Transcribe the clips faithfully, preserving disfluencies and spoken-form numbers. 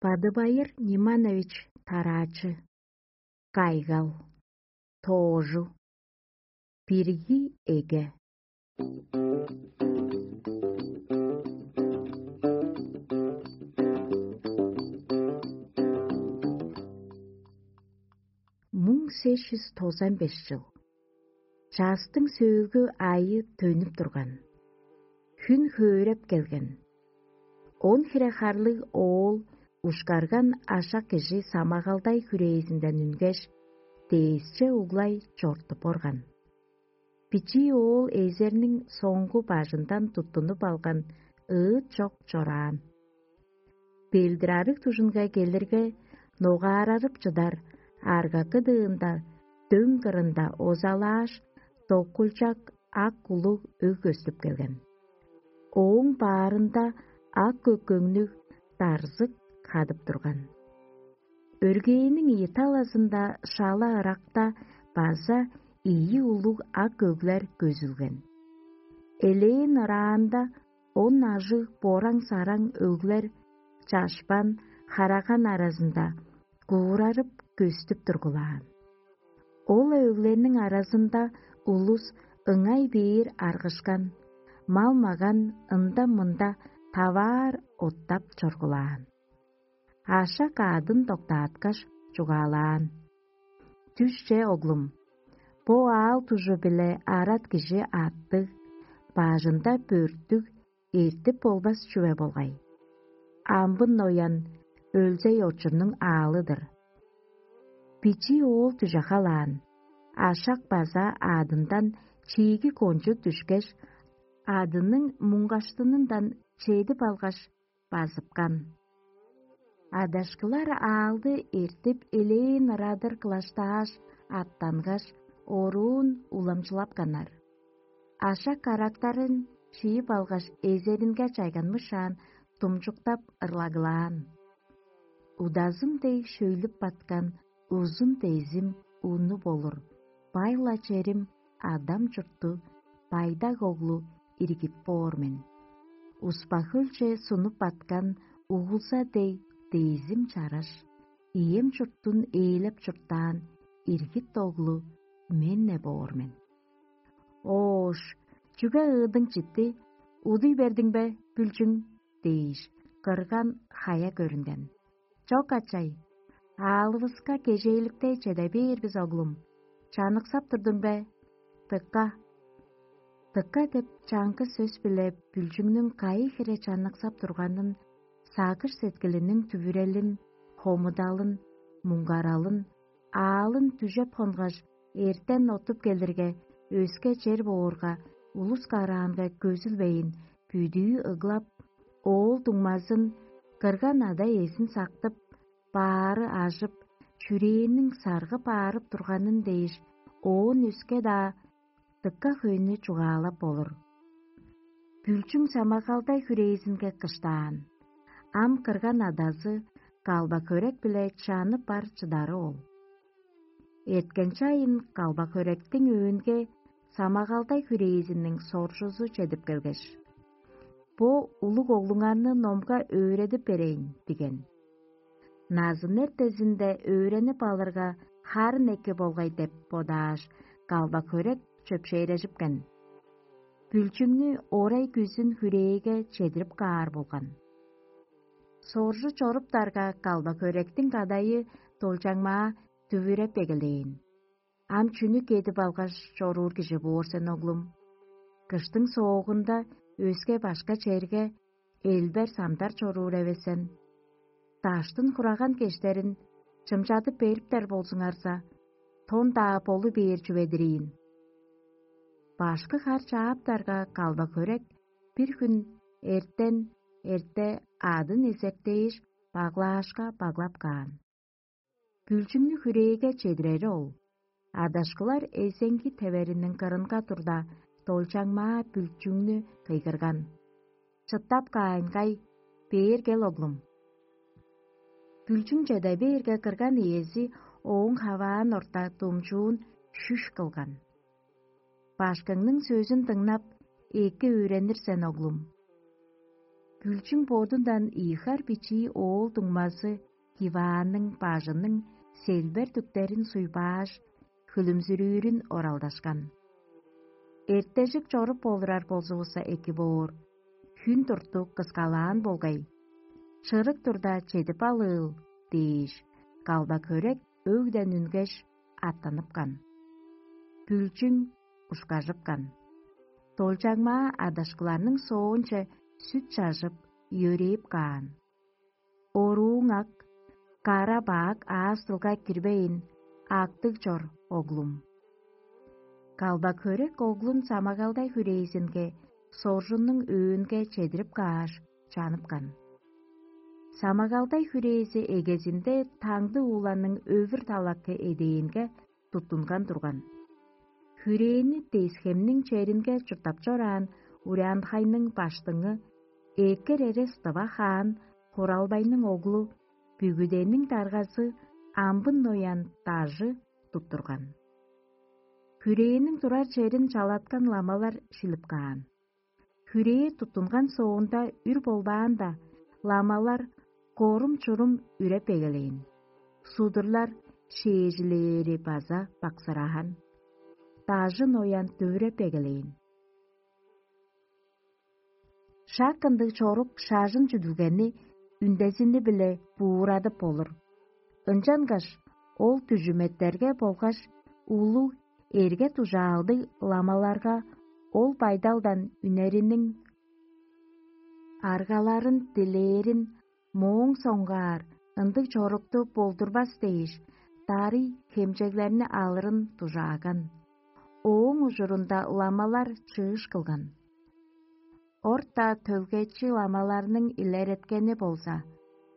Бадыбайыр Ниманович Тараачы. Кайгал. Тоожу. Бирги эге. Муң сес чүс тозан беш чыл. Частың сөөлгү айы төнүп турган. Хүн хөөреп келген. Он хире харлыг оол ушкарган ашак кижи самагалдай хүрээзинден үнгеш, дээсче углай чортуп орган. Бичии оол эзерниң соңгу бажындан туттунуп алган ыыт чок чораан. Белдир-арыг дужунга келирге, ногаарарып чыдар аргакы дыында дөң кырында озалааш, доккулчак ак улуг өг көстүп келген. Ооң баарында ак көккөңнүг дарзык хадып турган. Өргээниң ийи талазында шала ыракта база ийи улуг ак өглер көзүлген. Элээн ыраанда он ажыг бораң-сараң өглер чашпан, хараган аразында куурарып көстүп тургулаан. Ол өглерниң аразында улус ыңай бээр аргышкан, мал-маган ында-мында таваар оттап чоргулаан. Ашак аъдын доктааткаш, чугаалаан: «Дүшче, оглум, бо аал дужу-биле арат кижи аттыг, бажында бөрттүг, эртип болбас чүве болгай. Амбын ноян өлзей очурнуң аалы-дыр». Бичии оол дүже халаан, ашак база аъдындан чииги кончуг дүшкеш, аъдының муңгаштынындан чедип алгаш, базыпкан. Адашкылар аалды эртип, элээн ырадыр кылаштааш, аттангаш, оруун уламчылапканнар. Ашак карактарын шиип алгаш, эзеринге чайганмышаан, думчуктап ырлагылаан: «Удазым дег шөйлүп баткан узун дезим уну болур, бай-ла черим адам чуртту, байдак оглу иргит боор мен. Успа-хөлче сунуп баткан угулза дег дезим чараш, ием чурттун ээлеп чурттаан иргит оглу мен-не боор мен». «Оош, чүге ыыдың читти, удуй бердиң бе, Бүлчүң?» — дээш, кырган хая көрүнген. «Чок, ачай, аалывыска кежээликтей чеде бээр бис, оглум. Чаныксап турдуң бе? Дыка». «Дыка» деп чаңгыс сөс-биле Бүлчүңнүң кайы хире чаныксап турганын, сагыш-сеткилиниң дүвүрелин, хомудалын, муңгаралын, аалын дүжеп хонгаш, эртен оттуп келирге, өске чер боорга, улус караанга көзүлбейн, бүдүү ыглап, оол дуңмазын, кырган ада-иезин сактып, баары ажып, чүрээнниң саргып аарып турганын дээш, оон өске-даа дыка хөйнү чугаалап болур. Бүлчүң самагалдай хүрээзинге кыштаан. Ам кырган адазы Калба-Хөрек-биле чаны бар чыдары ол. Эрткен чайын Калба-Хөректиң өөнге самагалдай хүрээзиниң соржузу чедип келгеш: «Бо улуг оглуңарны номга өөредип берейн» — диген. «Назын эртезинде өөренип алырга, харын эки болгай» — деп бодааш, Калба-Хөрек чөпшээрежипкен. Бүлчүңнү орай күзүн хүрээге чедирип каар болган. Соржу чоруптарга, Калба-Хөректиң кадайы долчаңмаа дүвүреп эгелээн: «Ам чүнү кедип алгаш чоруур кижи боор сен, оглум? Кыштың соогунда өске-башка черге элбер-самдар чоруур эвес сен. Даштын хураган кештерин чымчадып бериптер болзуңарза, тон-даа болу бээр чүве-дир ийин». Башкы хар чааптарга, Калба-Хөрек бир хүн эртен эрте аъдын эзертээш, баглаашка баглап каан. Бүлчүңнү хүрээге чедирери ол. Адашкылар эзеңги тевериниң кырынга турда, долчаңмаа Бүлчүңнү кыйгырган: «Чыттап каайынгай, бээр кел, оглум». Бүлчүң чеде бээрге, кырган иези ооң хаваан орта думчуун шүш кылган: «Башкыңның сөзүн дыңнап, эки өөренир сен, оглум». Күлчүң бодундан ийи хар бичии оол дуңмазы диваанның бажының селбер дүктерин суйбааш, хүлүмзүрүүрүн оралдашкан. «Эртежик чоруп болурар болзувусса эки боор, хүн турту кыскалаан болгай, чырык турда чедип алыыл» – дээш, калба-хөрек өгден үнгеш, аттаныпкан. Бүлчүң ушкажыпкан. Долчаңмаа адашкыларның соонче сүт чажып, йөрээп каан. Орууң ак, кара-баак аастылга кирбейн, актыг чор, оглум. Калба-хөрек оглун самагалдай хүрээзинге, соржуннуң өөнге чедирип кааш, чаныпкан. Самагалдай хүрээзи эгезинде таңды ууланның өвүр талакы эдээнге туттунган турган. Хүрээни Десхемниң черинге чурттап чораан Урянхайның баштыңы экер эрес тыва хаан Хуралбайның оглу Бүгүдениң даргазы Амбын Ноян дажы туттурган. Хүрээниң турар черин чалаткан ламалар шилип каан. Хүрээ туттунган соонда үр болбаанда, ламалар корум-чурум үреп эгелээн. Судурлар шээжилээри база баксыраан. Дажын оян дүвүреп эгелээн. Шак ындыг чорук шажын чүдүлгени үндезини-биле буурадып болур. Ынчангаш ол дүжүметтерге болгаш улуг эрге-дужаалдыг ламаларга ол байдалдан үнериниң аргаларын дилээрин, мооң соңгаар ындыг чорукту болдурбас дээш, дарый хемчеглерни алырын дужааган. Ооң ужурунда ламалар чыыш кылган. Орта төлгечи ламаларның илереткени болза,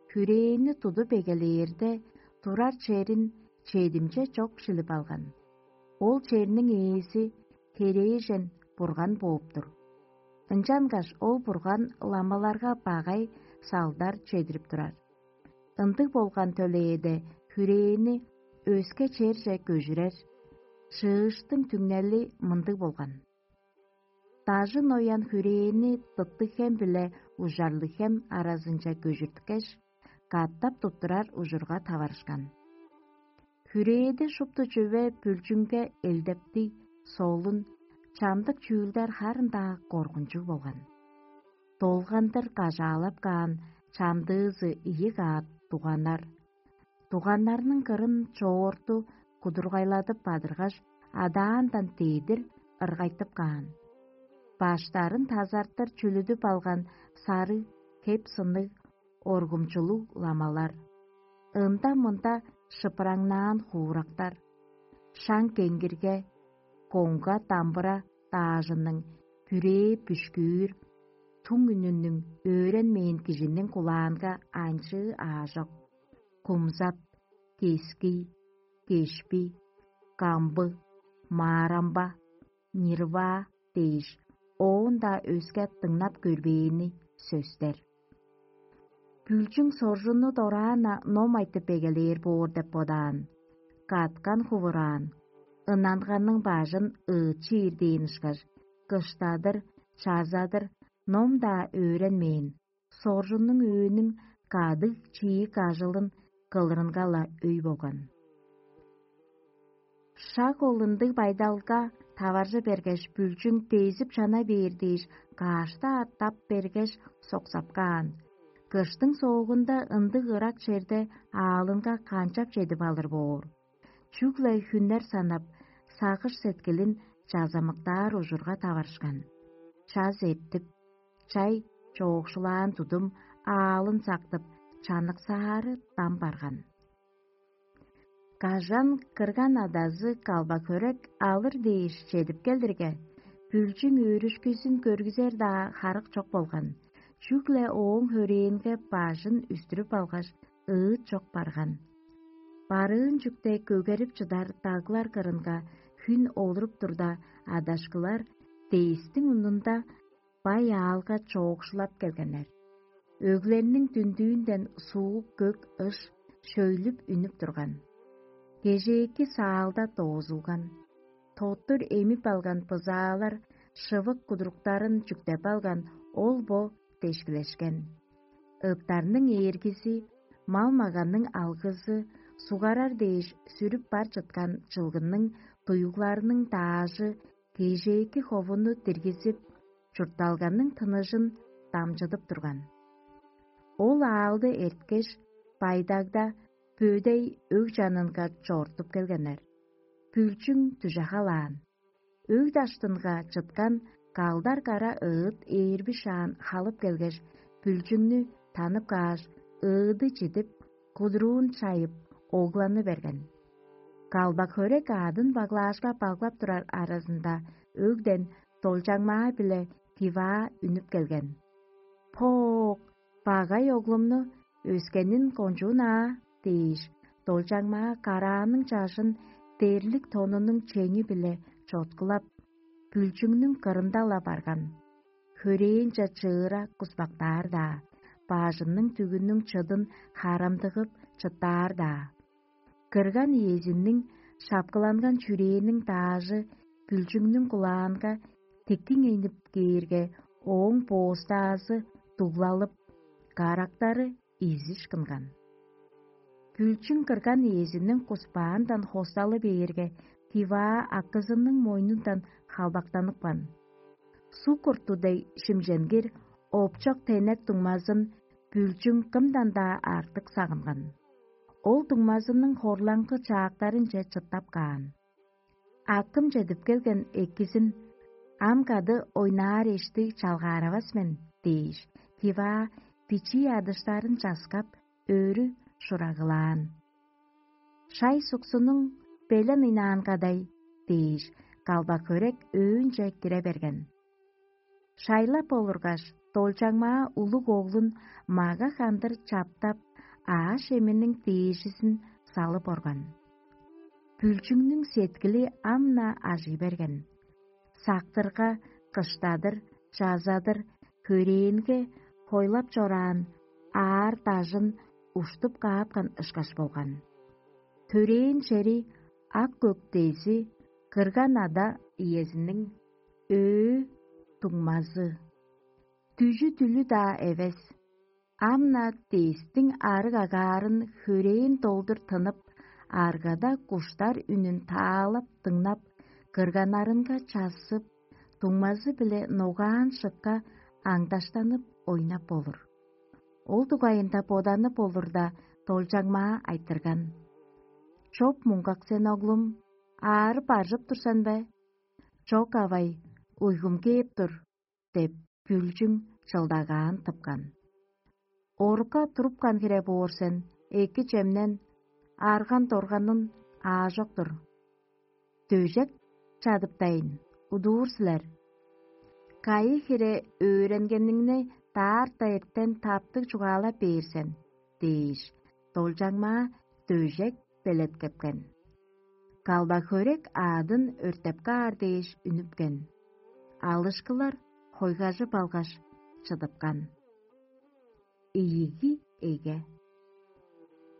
хүрээни тудуп эгелээрде, турар черин чедимче чок шилип алган. Ол черниң ээзи херээжен бурган бооп-тур. Ынчангаш ол бурган ламаларга багай салдар чедирип турар. Ындыг болган төлээде хүрээни өске черже көжүрер. Чыыштың түңнели мындыг болган. Дажын оян хүрээни Дыттыг-Хем биле Ужарлыг-Хем аразынче көжүрткеш, катап туттурар ужурга таварышкан. Хүрээде шупту чүве Бүлчүңге элдептиг, солун, чамдык чүүлдер харын-даа коргунчуг болган. Долгандыр кажаалап каан чамдыызы ийи каат дуганнар. Дуганнарның кырын чоорту кудургайладып бадыргаш, адаандан дедир ыргайтып каан. Баштарын тазартыр чүлүдүп алган сарыг, хеп-сынныг, оргумчулуг ламалар. Ында-мында шыпыраңнаан хуурактар. Шаң кеңгирге, коңга дамбыра даажының бүрээ бүшкүүр, туң үнүнүң өөренмээн кижиниң кулаанга анчыы аажок. Кумзат, кески, кешпи, камбы, маарамба, нирваа дээш, оон-даа өске дыңнап көрбээни сөстер. Бүлчүң соржунну дораан-на ном айтып эгелээр боор деп бодаан, каткан хувураан, ынанганның бажын ыычы ирдээн ышкаш, кыштадыр, чазадыр ном-даа өөренмээн, соржуннуң өөнүң кадыг чиик ажылын кылырынга-ла өй болган. Шак ол ындыг байдалга таваржы бергеш, Бүлчүң дезип чана бээр дээш, каашта аттап бергеш, соксап каан. Кыштың соогунда ындыг ырак черде аалынга канчап чедип алыр боор? Чүгле хүннер санап, сагыш-сеткилин чазамыктаар ужурга таварышкан. Час эртип, чай чоокшулаан тудум аалын сактып, чаныксаары дам барган. Кажан кырган адазы калба-хөрек алыр дээш чедип келдирге, Бүлчүң өөрүшкүзүн көргүзер-даа харык чок болган. Чүгле ооң хөрээнге бажын үстүрүп алгаш, ыыт чок барган. Барыын чүкте көгерип чыдар даглар кырынга хүн олуруп турда, адашкылар дээстиң мурнунда бай аалга чоокшулап келгеннер. Өглерниң дүндүүнден суук көк ыш шөйлүп үнүп турган. Кежээки саалда доозулган. Тоттур эмип алган бызаалар шывык кудуруктарын чүктеп алган ол-бо дешкилешкен. Ыттарның ээргизи, мал-маганның алгызы, сугарар дээш сүрүп бар чыткан чылгының туйгуларының даажы кежээки ховуну диргизип, чуртталганның тыныжын дамчыдып турган. Ол аалды эрткеш, байдагда бөдей өг чанынга чоортуп келгеннер. Бүлчүң дүже халаан. Өг даштынга чыткан калдар кара ыыт ээрби шаан халып келгеш, бүлчүңнү танып кааш, ыыды чидип, кудуруун чайып, огланы берген. Калбак хөрек аадын баглаашка баглап турар аразында өгден долчаңмаа биле тиваа үнүп келген. «Поок, багай оглумну өскенин кончуун аа» – дээш, долчаңмаа карааның чажын дерлик тонунуң чеңи-биле чоткулап, бүлчүңнүң кырында-ла барган. Хөрээнче чыыра куспактаар-даа, бажының дүгүнүң чыдын харамдыгып чыттаар-даа. Кырган иезиниң шапкыланган чүрээниң даажы бүлчүңнүң кулаанга тиктиңейнип кээрге, ооң боостаазы дуглалып, карактары изиш кынган. Бүлчүң кырган иезиниң куспаандан хосталы бээрге, тиваа акызының мойнундан халбактаныпкан. Суг курту дег шимченгир опчок тенек дуңмазын бүлчүң кымдан-даа артык сагынган. Ол дуңмазының хорлаңгы чаактарынче чыттап каан. Акым чедип келген экизин: «Ам кады ойнаар эшти чалгааравас мен» – дээш, тиваа бичии адыштарын часкап, өрү шурагылаан. «Шай суксунуң белен ыйнаан кадай» – дээш, калбак хөрек өөнче кире берген. Шайлап олургаш, долчаңмаа улуг оглун мага-хандыр чаптап, ааш-эминиң дээжизин салып орган. Бүлчүңнүң сеткили ам-на ажый берген. Сактырга кыштадыр, чазадыр, хөрээнге хойлап чораан аар-дажын уштуп каапкан ышкаш болган. Төрээн чери ак-көк дези кырган ада иезиниң өө дуңмазы. Дүжү-дүлү-даа эвес. Ам-на дестиң арыг агаарын хөрээн долдур тынып, аргада куштар үнүн таалап дыңнап, кырганнарынга чассып, дуңмазы-биле ногаан шыкка аңдаштанып ойнап болур. Ол дугайында боданып болурда, долчаңмаа айтырган: «Чоп муңгак сен, оглум, аарып-аржып тур сен бе?» «Чок, авай, уйгум кээп тур» – деп, бүлчүң чылдагаан тыпкан. «Орукка турупкан хире боор сен, эки чемнен, арган-дорганын аажок-тур. Дөжек чадыптайын, удуур силер. Кайы хире өөренгениңни даарта эртен таптыг чугаалап бээр сен» – дээш, долчаңмаа дөжек белеткепкен. Калбак хөрек аадын өртеп каар дээш үнүпкен. Алышкылар хойгажып алгаш, чыдыпкан. Ийиги эге.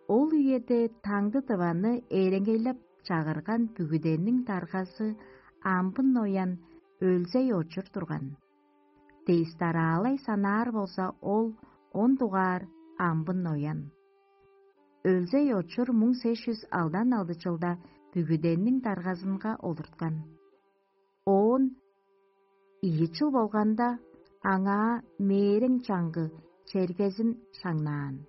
Ол үеде таңды дываны эреңейлеп чагырган бүгүдениң даргазы амбын ноян Өлзей очур турган. Дээстараалай санаар болза, ол он дугаар амбын ноян. Өлзей очур муң сес чүс алдан алды чылда бүгүдениң даргазынга олурткан. Оон ийи чыл болганда, аңаа мээрең чаңгы чергезин шаңнаан.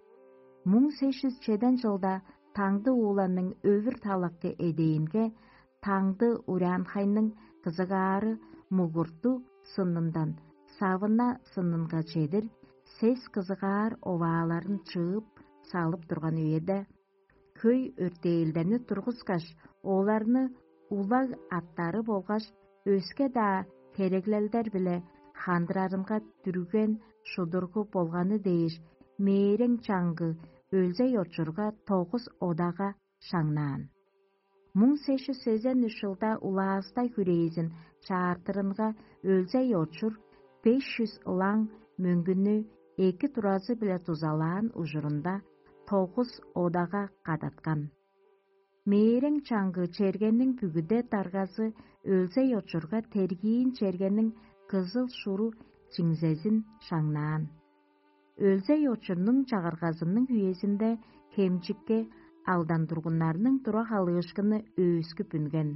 Муң сес чүс чеден чылда таңды ууланның өвүр талакты эдээнге, таңды ураанхайның кызыгаары мугурту сынындан савына сынынга чедир сес кызыгаар овааларын чыып салып турган үеде, хөй өртээлдени тургускаш, оларны улаг аттары болгаш өске-даа хереглелдер-биле хандырарынга дүрген шудургу болганы дээш, мээрең чаңгы Өлзей очурга тогус одага шаңнаан. Муң сес чүс сезен үш чылда улаастай хүрээзин чаартырынга Өлзей очур беш чүс ылаң мөңгүнү эки туразы-биле дузалаан ужурунда тогус одага кадаткан. Мээрең чаңгы чергениң бүгүде даргазы Өлзей очурга тергиин чергениң кызыл шуру чиңзезин шаңнаан. Өлзей очурнуң чагыргазының үезинде хемчикке алдан тургуннарның тура халыышкыны өөскүп үнген.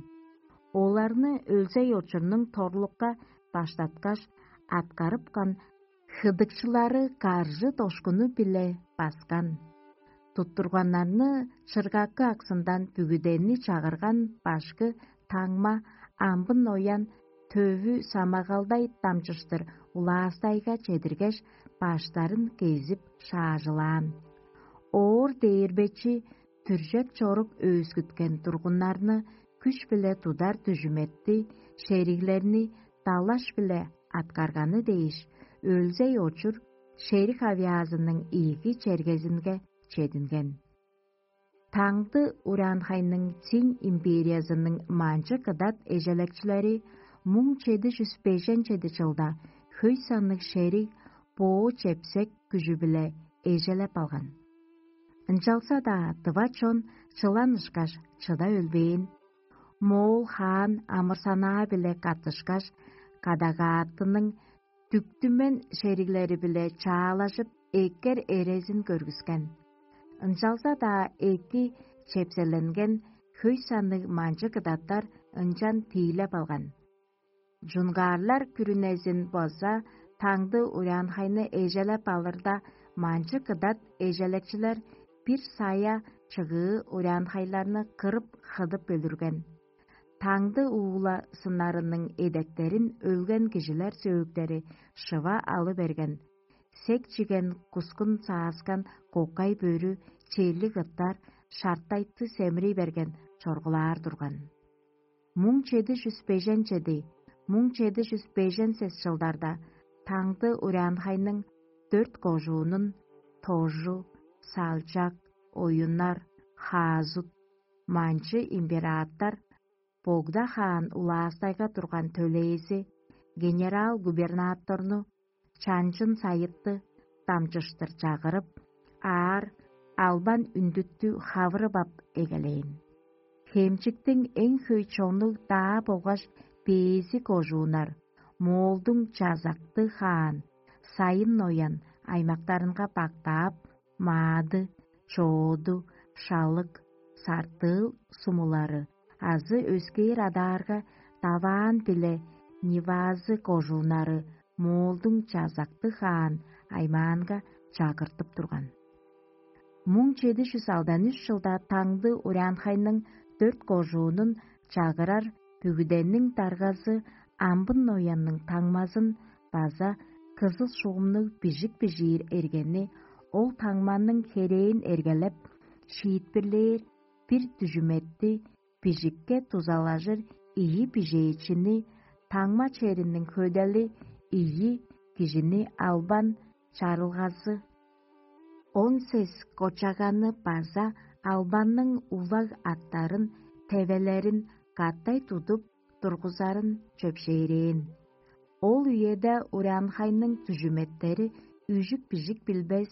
Оларны Өлзей очурнуң торлукка баштаткаш, аткарыпкан хыдыкчылары каржы дошкуну-биле баскан. Туттурганнарны чыргакы аксындан бүгүденни чагырган башкы таңма амбын оян төвү самагалдай дамчыштыр улаастайга чедиргеш, баштарын кезип шаажылаан. Оор дээрбечи дүржек чорук өөскүткен тургуннарны күш-биле тудар дүжүметти, шериглерни далаш-биле аткарганы дээш, Өлзей очур шериг авиазының ийиги чергезинге чединген. Таңды Уранхайның Цинь империязының манчы кыдат эжелекчилери муң чеди чүс бежен чеди чылда хөй санныг шериг боо чепсек күжү-биле эжелеп алган. Ынчалза-даа дыва чон чылан ышкаш чыда өлбээн. Моол хаан амырсанаа-биле каттышкаш, кадагааттының дүктүмен шериглери-биле чаалажып, эккер эрезин көргүскен. Ынчалза-даа эки чепселенген хөй санныг манчы кыдаттар ынчан тиилеп алган. Джунгаарлар күрүнезин база таңды Урианхайны эжелеп алырда, манчы кыдат эжелекчилер бир сая чыгыы Урианхайларны кырып, хыдып өлүрген. Таңды уула сыннарының эдектерин өлген кижилер сөөктери шыва алы берген, сек чиген кускун сааскан кокай бөрү, челиг ыттар, шартайты семирий берген чоргулаар турган. Муң чеди чүс бежен чеди, муң чеди чүс бежен сес чылдарда таңды Урианхайның дөрт кожуунун: Тожу, Салчак, Оюннар, Хаазут, манчы император Богда хаан улаастайга турган төлээзи, генерал-губернаторну, чанчын сайытты дамчыштыр чагырып, аар албан үндүттү хавырып ап эгелээн. Хемчиктиң эң хөй чоннуг даа болгаш бээзи кожууннар, Моолдуң чазакты хаан, сайын ноян аймактарынга бактаап, Маады, Чооду, Шалык, Сартыыл сумулары азы өскээр адаарга Даваан биле Нивазы кожууннары Моолдуң чазакты хаан аймаанга чагыртып турган. Муң чеди чүс алдан үш чылда таңды Урянхайның дөрт кожуунун чагырар бүгүдениң даргазы амбын ноянның таңмазын база кызыл шуумнуг бижик бижиир эргени, ол таңманың херээн эргелеп, шиитпирлээр бир дүжүметти, бижикке дузалажыр ийи бижээчини, таңма чериниң хөдели ийи кижини албан чарылгазы, он сес кочаганы база албанның улаг аттарын, тевелерин катай тудуп тургузарын чөпшээрээн. Ол үеде Урянхайның дүжүметтери үжүк-бижик билбес,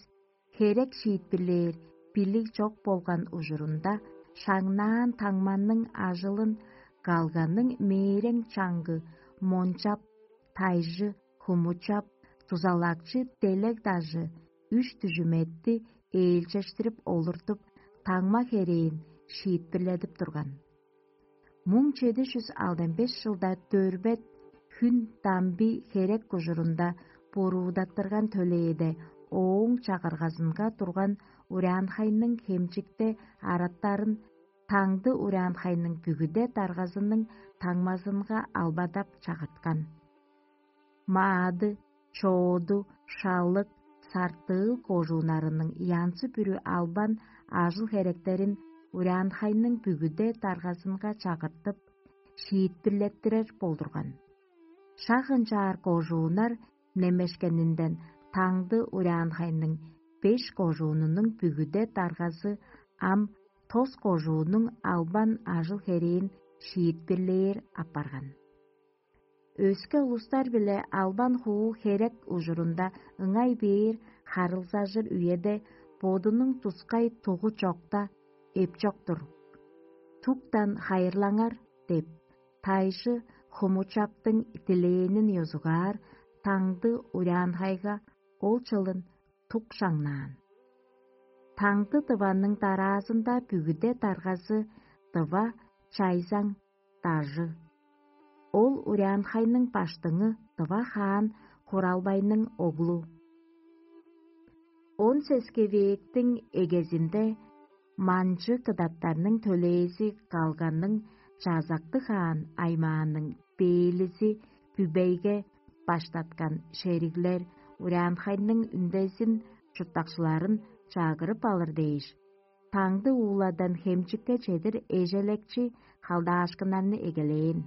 херек шиитпирлээр билиг чок болган ужурунда, шаңнаан таңманның ажылын калганның мээрең чаңгы Мончап, Тайжы, Хумучап, дузалакчы Делег дажы үш дүжүметти ээлчештирип олуртуп, таңма херээн шиитпирледип турган. Муң чеди чүс алдан беш чылда дөрбет хүн дамби херек кужурунда буруудаттырган төлээде ооң чагыргазынга турган Урянхайның хемчикте араттарын таңды Урянхайның бүгүде даргазының таңмазынга албадап чагырткан. Маады, Чооду, Шалык, Сартыыл кожууннарының янзы-бүрү албан ажыл-херектерин Урянхайның бүгүде даргазынга чагыртып, шиитпирлеттирер болдурган. Шак ынчаар кожууннар немешкенинден таңды Урянхайның беш кожуунунуң бүгүде даргазы ам тос кожууннуң албан ажыл-херээн шиитпирлээр апарган. Өске улустар-биле албан хуу херек ужурунда ыңай бээр харылзажыр үеде бодунуң тускай тугу чокта эпчок тур. «Туктан хайырлаңар» деп, тайжы Хумучаптың дилээнин ёзугаар, таңды Урянхайга ол чылын тук шаңнаан. Таңды дыванның дараазында бүгүде даргазы дыва чайзаң дажы. Ол урянхайның баштыңы дыва хаан Хуралбайның оглу. Он сескевээктиң эгезинде манчы кыдаттарның төлээзи калганның чазакты хаан аймаанның бээлизи Бүбейге баштаткан шериглер урянхайның үндезин чурттакчыларын чагырып алыр дээш, таңды ууладан хемчикке чедир эжелекчи халдаашкыннарны эгелээн.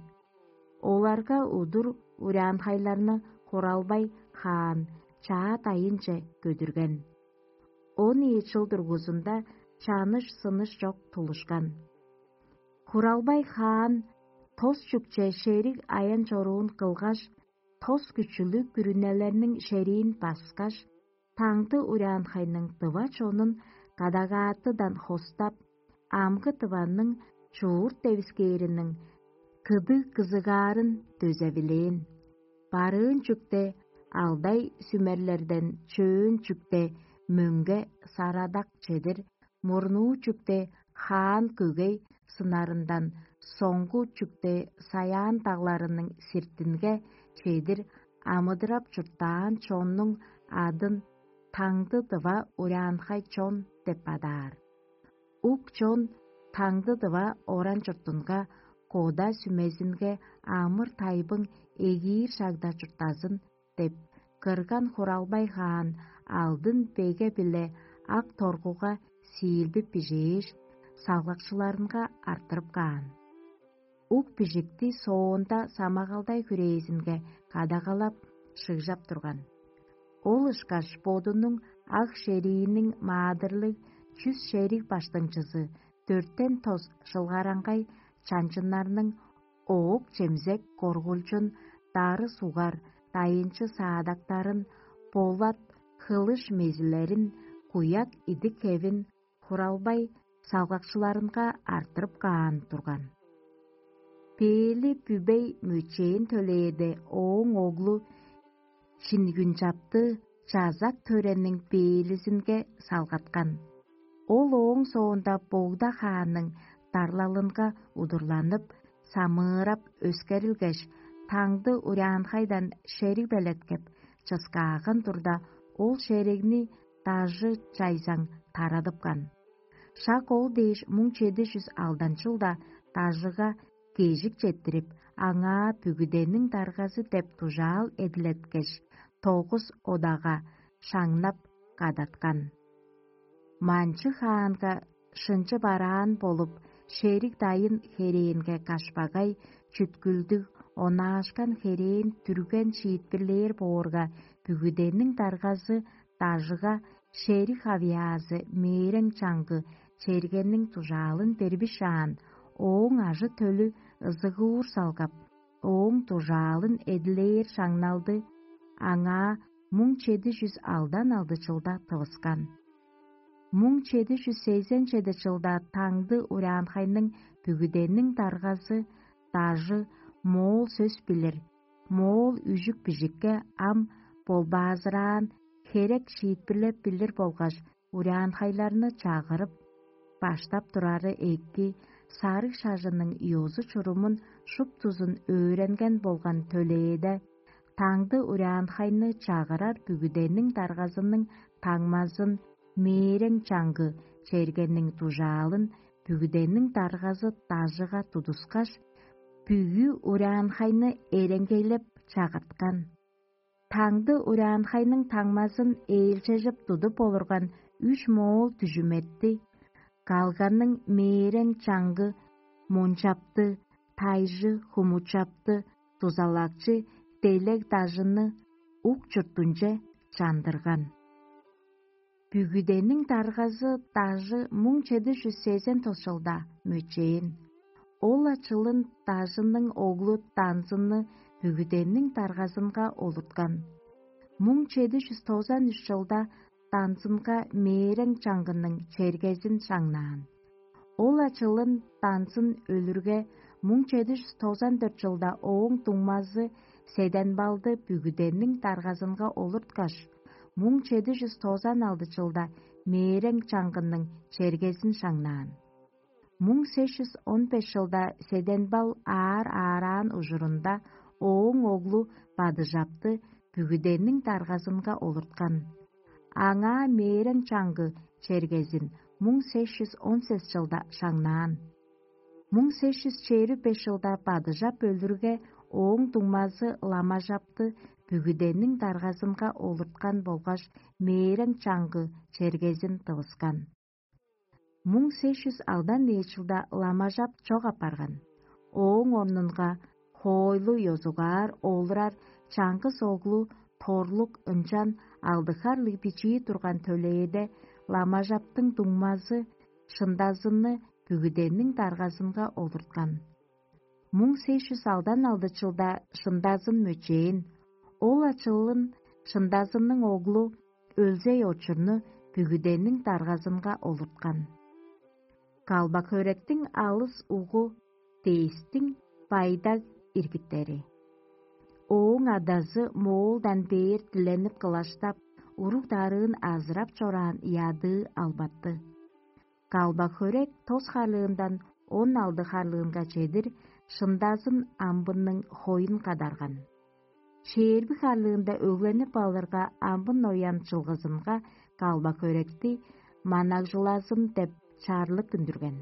Оларга удур урянхайларны Хуралбай хаан чаа дайынче көдүрген. Он ийи чыл дургузунда чаныш-сыныш чок тулушкан. Хуралбай хаан тос чүкче шериг аян-чоруун кылгаш, тос күчүлүг күрүнелерниң шериин баскаш, таңды урянхайның дыва чонун кадагаатыдан хостап, амгы дыванның чуурт девискээриниң кыдыг кызыгаарын дөзевилээн. Барыын чүкте алдай сүмерлерден чөөн чүкте мөңге сарадак чедир, мурнуу чүкте хаан көгей сынарындан соңгу чүкте саяан дагларының сиртинге чедир амыдырап чурттаан чоннуң адын таңды дыва урянхай чон деп адаар. Ук чон таңды дыва оран чуртунга кода сүмезинге амыр-тайбың эгиир шагда чурттазын деп, кырган Хуралбай хаан алдын беге-биле ак торгуга сиилдип бижээш, салгакчыларынга арттырып каан. Ук бижикти соонда самагалдай хүрээзинге кадагалап, шыгжап турган. Ол ышкаш бодунуң ак шерииниң маадырлыг чүс шериг баштыңчызы дөртен тос шылгараңгай чанчыннарның оок-чемзек коргулчун, дары сугар дайынчы саадактарын, болат хылыш мезилерин, куяк идик-хевин Хуралбай салгакчыларынга арттырып каан турган. Бээли Бүбей мөчээн төлээде ооң оглу Чингүнчапты чазак төрениң бээлизинге салгаткан. Ол ооң соонда Богда хаанның дарлалынга удурланып, самыырап өскерилгеш, таңды урянхайдан шериг белеткеп, чыскааган турда, ол шеригни дажы чайзаң тарадыпкан. Шак ол дээш муң чеди чүс алдан чылда дажыга кежик четтирип, аңаа бүгүдениң даргазы деп дужаал эдилеткеш, тогус одага шаңнап кадаткан. Манчы хаанга шынчы бараан болуп, шериг дайын херээнге кашпагай, чүткүлдүг, онаашкан херээн дүрген шиитпирлээр боорга, бүгүдениң даргазы дажыга шериг хавыяазы мээрең чаңгы чергенниң дужаалын бербишаан, ооң ажы-төлү ызыгуур салгап, ооң дужаалын эдилээр шаңналды аңаа муң чеди чүс алдан алды чылда тывыскан. Муң чеди чүс сезен чеди чылда таңды ураанхайның бүгүдениң даргазы дажы моол сөс билир, моол үжүк-бижикке ам болбаазыраан херек шиитпирлеп билир болгаш ураанхайларны чагырып, баштап турары эки сарыг шажының ёзу-чурумун шуптузун өөренген болган төлээде, таңды ураанхайны чагырар бүгүдениң даргазының таңмазын, мээрең чаңгы чергениң дужаалын бүгүдениң даргазы дажыга тудускаш, бүгү ураанхайны эренгейлеп чагырткан. Таңды ураанхайның таңмазын ээлчежип тудуп олурган үш моол дүжүметти, калганның мээрең чаңгы мунчапты, тайжы хумучапты, дузалакчы делег дажыны ук чуртунче чандырган. Бүгүдениң даргазы дажы муң чеди чүс сезен тос чылда мөчээн. Ол-ла чылын дажының оглу Данзынны бүгүдениң даргазынга олурткан. Муң чеди чүс тозан үш чылда Данзынга мээрең чаңгының чергезин шаңнаан. Ол-ла чылын Данзын өлүрге, муң чеди чүс тозан дөрт чылда ооң дуңмазы Седенбалды бүгүдениң даргазынга олурткаш, Муң чеди чүс тозан алды чылда мээрең чаңгының чергезин шаңнаан. Муң сес чүс он беш чылда Седенбал аар аараан ужурунда ооң оглу Бадыжапты бүгүдениң даргазынга олурткан. Аңаа мээрең чаңгы чергезин муң сес чүс он сес чылда шаңнаан. Муң сес чүс чээрби беш чылда Бадыжап өлүрге, ооң дуңмазы Ламажапты бүгүдениң даргазынга олурткан болгаш мээрең чаңгы чергезин тывыскан. Муң сес чүс алдан ийи чылда Ламажап чок апарган. Ооң орнунга хоойлу ёзугаар олурар чаңгыс оглу Торлук ынчан алды харлыг бичии турган төлээде Ламажаптың дуңмазы шындазынны бүгүдениң даргазынга олурткан. Муң сес чүс алдан алды чылда шындазын мөчээн, ол ачылын шындазынның оглу Өлзей очурну бүгүдениң даргазынга олурткан. Калбак-хөректиң алыс угу Дээстиң Байдаг иргиттери. Ооң адазы моолдан бээр диленип кылаштап, уруг-дарыын азырап чораан ядыы албатты. Калбак-хөрек тос харлыындан он алды харлыынга чедир шындазын амбынның хоюн кадарган. Чээрби харлыында өгленип алырга, амбын оян чылгызынга калбак-хөректи манагжылазын деп чарлык үндүрген.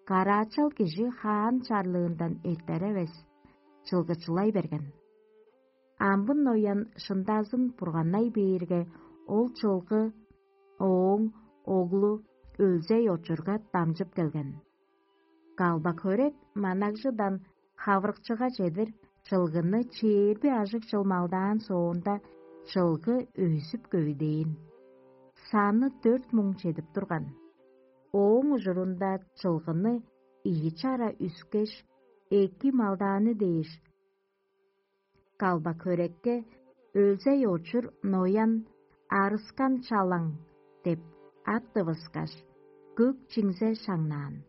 Караачал кижи хаан чарлыындан эртер эвес, чылгычылай берген. Амбын оян шындазын бурганнай бээрге, ол чылгы ооң оглу Өлзей очурга дамчып келген. Калбак-хөрек манагжыдан хавырыкчыга чедир чылгыны чээрби ажыг чыл малдаан соонда, чылгы өзүп-көвүдээн. Саны дөрт муң чедип турган. Ооң ужурунда чылгыны ийи чара үскеш, эки малдааны дээш, калбак-хөрекке Өлзей очур Ноян «Арыскан чалаң» деп ат тывыскаш, көк чиңзе шаңнаан.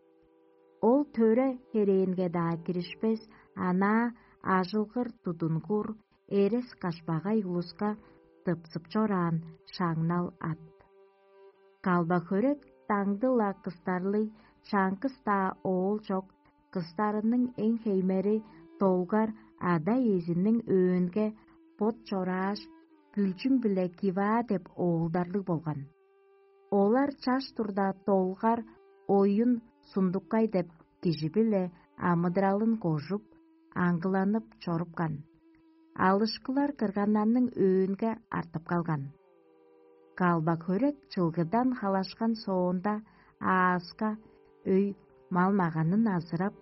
Ол төре херээнге-даа киришпес, анаа ажылгыр тудунгур, эрес-кашпагай улуска тыпсып чораан шаңнал ат. Калбак-хөрек даңды-ла кыстарлыг, чаңгыс-даа оол чок, кыстарының эң хеймери долгар ада-иезиниң өөнге бот чорааш, Бүлчүң биле Киваа деп оолдарлыг болган. Олар чаш турда долгар Оюн Сундуккай деп кижи-биле амыдыралын кожуп, аңгыланып чорупкан. Алышкылар кырганнарның өөнге артып калган. Калбак-хөрек чылгыдан халашкан соонда, ааска өй мал-маганын азырап,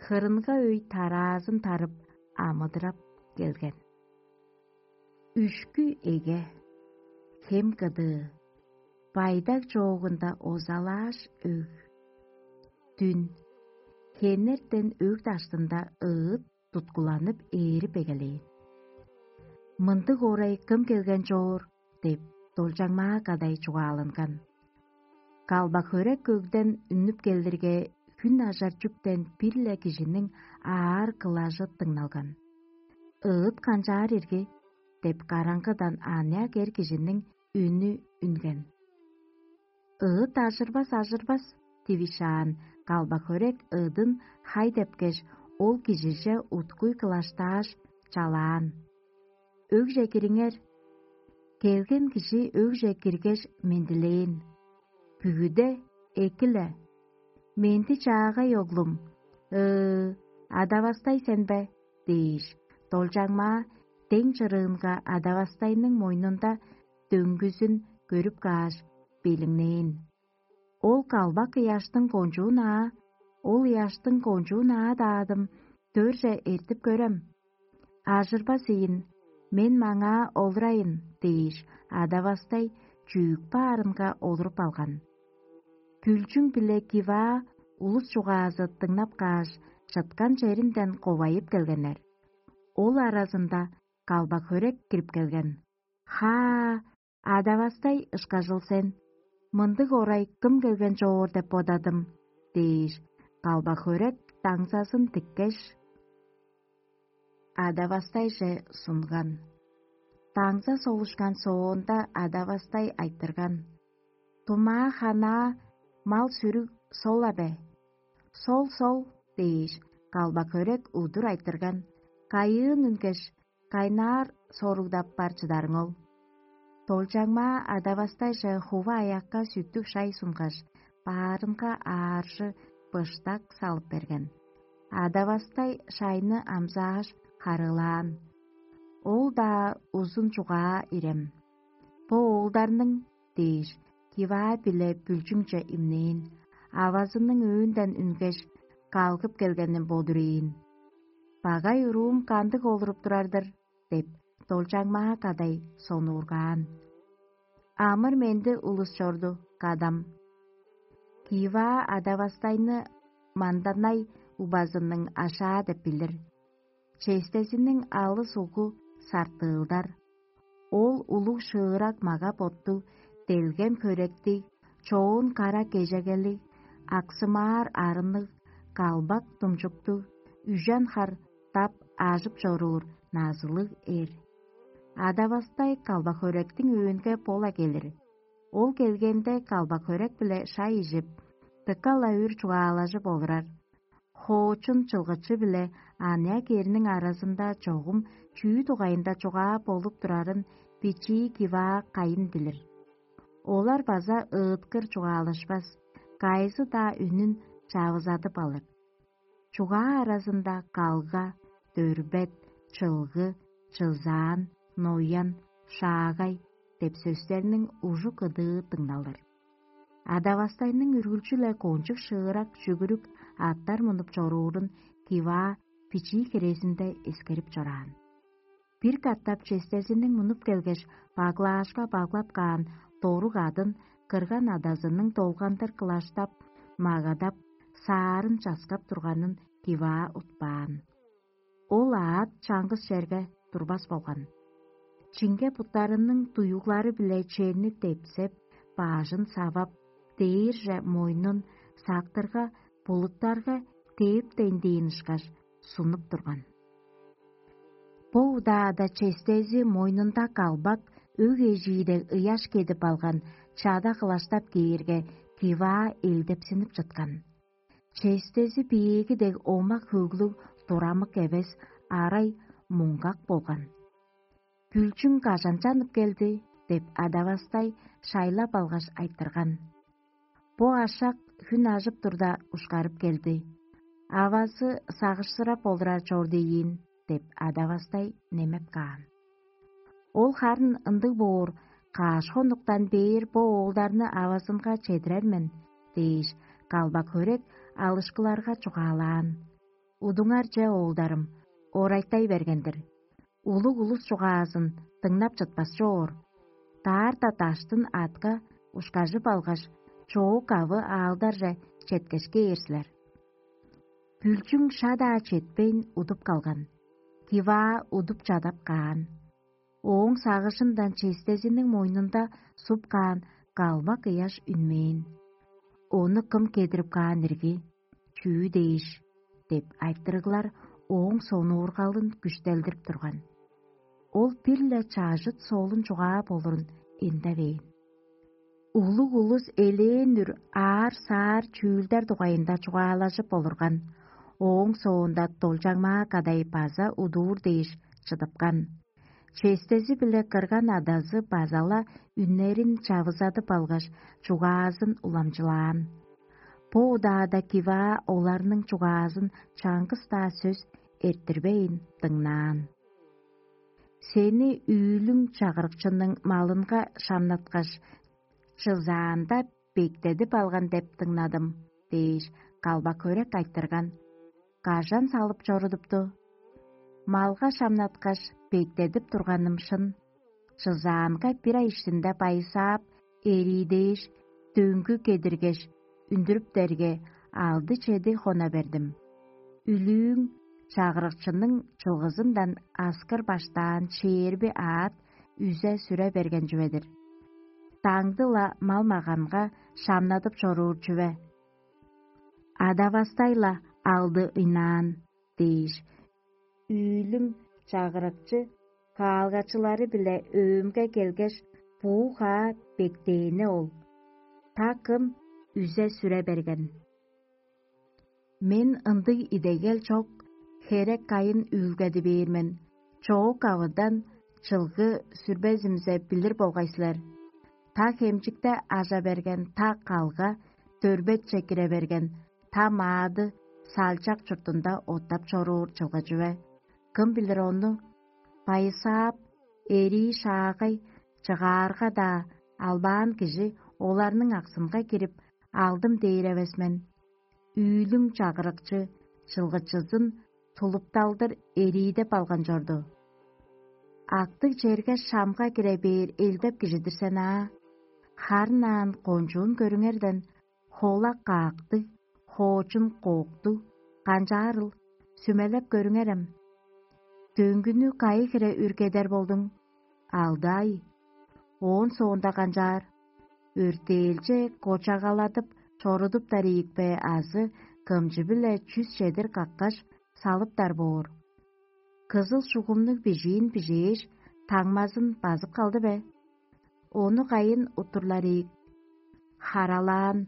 хырынга өй тараазын тарып, амыдырап келген. Үшкү эге, хем кыдыы, Байдаг чоогунда озалааш өг. Дүн, хенертен өг даштында ыыт туткуланып ээрип эгелээн. «Мындыг орай кым келген чоор?» – деп, долчаңмаа кадай чугааланган. Калбак-хөрек өгден үнүп келдирге, хүн ажар чүктен бир-ле кижиниң аар кылажы дыңналган. «Ыыт канчаар ирги?» – деп, караңгыдан аныяк эр кижиниң үнү үнген. «Ыыт ажырбас, ажырбас» – дивишаан, калбак-хөрек ыдын хай депкеш, ол кижиже уткуй кылаштааш, чалаан: «Өгже кириңер». Келген кижи өгже киргеш, мендилээн: «Бүгүде эки-ле». «Менди-чаагай, оглум, ыы, ада-бастай сен бе?» – дээш, долчаңмаа дең чырыынга ада-бастайның мойнунда дөңгүзүн көрүп кааш, белиңнээн. Ол калбак ыяштың кончуун аа, ол ыяштың кончуун аа-даадым, дөрже эртип көрем. «Ажырбас ийин, мен маңаа олурайын» – дээш, ада-бастай чүүк баарынга олуруп алган. Бүлчүң биле Киваа улус чугаазы дыңнап кааш, чыткан черинден ковайып келгеннер. Ол аразында калбак-хөрек кирип келген. «Хаа, ада-бастай ышкажыл сен, мындыг орай кым келген чоор деп бодадым» – дээш, калбак-хөрек даңзазын тиккеш, ада-бастайже сунган. Даңза солушкан соонда адавастай айтырган: «Тумаа-ханаа мал-сүрүг сол-ла бе?» «Сол-сол» – дээш, калбак-хөрек удур айтырган: «Кайыын үнгеш, кайнаар соругдап бар чыдарың ол?» Долчаңмаа адавастайже хува аякка сүттүг шай сунгаш, баарынга ааржы быштак салып берген. Адавастай шайны амзааш, харыылаан. Ол-даа узун чугаа ирем. «Бо оолдарның» – дээш, киваа-биле бүлчүңче имнээн, авазының өөнден үнгеш, калгып келгенин бодур ийин. «Багай уруум кандыг олуруп турар-дыр?» – деп, долчаңмаа кадай сонуургаан. «Амыр-менди улус чорду, кадам». Киваа адавастайны манданай убазының ашаа деп билир. Честезиниң алыс угу сартыылдар. Ол улуг шыырак мага-боттуг, делгем хөректиг, чоон кара кежегелиг, аксымаар арынныг, калбак думчуктуг, үжен хар дап ажып чоруур назылыг эр. Адавастай калбак-хөректиң өөнге бола келир. Ол келгенде калбак-хөрек-биле шай ижип, дыка-ла үр чугаалажып олурар. Хоочун чылгычы-биле аныяк эрниң аразында чогум чүү дугайында чугаа болуп турарын бичии киваа кайын билир. Олар база ыыткыр чугаалашпас, кайызы-даа үнүн чавызадып алыр. Чугаа аразында калга, дөрбет, чылгы, чызаан, ноян, шаагай деп сөстерниң ужу-кыдыы дыңналыр. Адавастайның үргүлчү-ле кончуг шыырак чүгүрүк аъттар мунуп чоруурун киваа бичии хирезинде эскерип чораан. Бир катап честезиниң мунуп келгеш, баглаашка баглап каан дорук адын кырган адазының долгандыр кылаштап, магадап, саарын часкап турганын киваа утпаан. Ол аът чаңгыс черге турбас болган. Чиңге буттарының дуюглары-биле черни депсеп, баажын савап, дээрже мойнун сактырга, булуттарга дээптейн дээн ышкаш сунуп турган. Бо удаада честези мойнунда калбак, өг эжии дег ыяш кедип алган чада кылаштап кээрге, киваа элдепсинип чыткан. Честези биеэги дег омак-хөглүг, турамык эвес, арай муңгак болган. «Бүлчүң кажан чанып келди?» – деп адавастай шайлап алгаш айтырган. «Бо ашак хүн ажып турда ушкарып келди. Авазы сагышсырап олурар чорду ийин» – деп адавастай немеп каан. Ол харын ындыг боор, каш хонуктан бээр бо оолдарны авазынга чедирер мен дээш, калбак-хөрек алышкыларга чугаалаан. Удуңарже, оолдарым, орайтай берген-дир. Улуг улус чугаазын дыңнап чытпас чоор. Даарта даштын аътка ушкажып алгаш, чоок-кавы аалдарже четкеш кээр силер. Бүлчүң шаа-даа четпейн удуп калган. Киваа удуп чадап каан. Ооң сагыжындан честезиниң мойнунда суп каан калбак ыяш үнмээн. «Ону кым кедирип каан ирги? Чүү дээш?» – деп айтырыглар ооң сонуургалын күштелдирип турган. Ол бир-ле чажыт соолун чугаап олурун эндевээн. Улуг улус элээн үр аар-саар чүүлдер дугайында чугаалажып олурган, ооң соонда долчаңмаа кадай база удуур дээш чыдыпкан. Честези-биле кырган адазы база-ла үннерин чавызадып алгаш, чугаазын уламчылаан. Бо удаада Киваа оларның чугаазын чаңгыс-даа сөс эрттирбейн дыңнаан. «Сени үүлүң чагырыкчының малынга шамнаткаш, чызаанда бектедип алган деп дыңнадым» – дээш, калбак-хөрек айтырган. «Кажан салып чорудупту?» «Малга шамнаткаш, бектедип турганым шын. Чызаанга бир ай иштинде байысаап, эрии дээш, дөңгү кедиргеш, үндүрүптерге, алды-чеди хона бердим. Үлүүң чагырыкчының чылгызындан аскыр баштаан чээрби аът үзе-сүре берген чүве-дир. Даңды-ла мал-маганга шамнадып чоруур чүве. Адавастай-ла алды ыйнаан» – дээш, үүлүң чагырыкчы Хаалгачылары-биле өөмге келгеш, буу-хаа бектээни ол. Та кым үзе-сүре берген. Мен ындыг идегел чок, херек кайын үүлгеди бээр мен, чоок авыдан чылгы сүрбезимзе билир болгай силер. Та хемчикте ажа берген, та калга дөрбетче кире берген, та маады салчак чуртунда оттап чоруур чылгы чүве. Кым билир ону? Байысаап, эрии шаагай, чыгаарга-даа албаан кижи оларның аксынга кирип, алдым дээр эвес мен. Үүлүң чагырыкчы чылгычызын тулупталдыр эриидеп алган чорду. Актыг черге шамга кире бээр элдеп кижидир сен аа. Харын аан кончуун көрүңерден, холак каактыг, хоочун кооктуг, канчаарыл, сүмелеп көрүңерем. Дөңгүнү кайы хире үргедер болдуң? Алды ай. Оон соонда канчаар? Өртээлче кочагаладып чорудуптар ийикпе азы кымчы-биле чүс чедир каккаш салыптар боор. Кызыл шугумнуг бижиин бижээш, таңмазын базып калды бе? Ону кайын уттурлар ийик? Харалаан,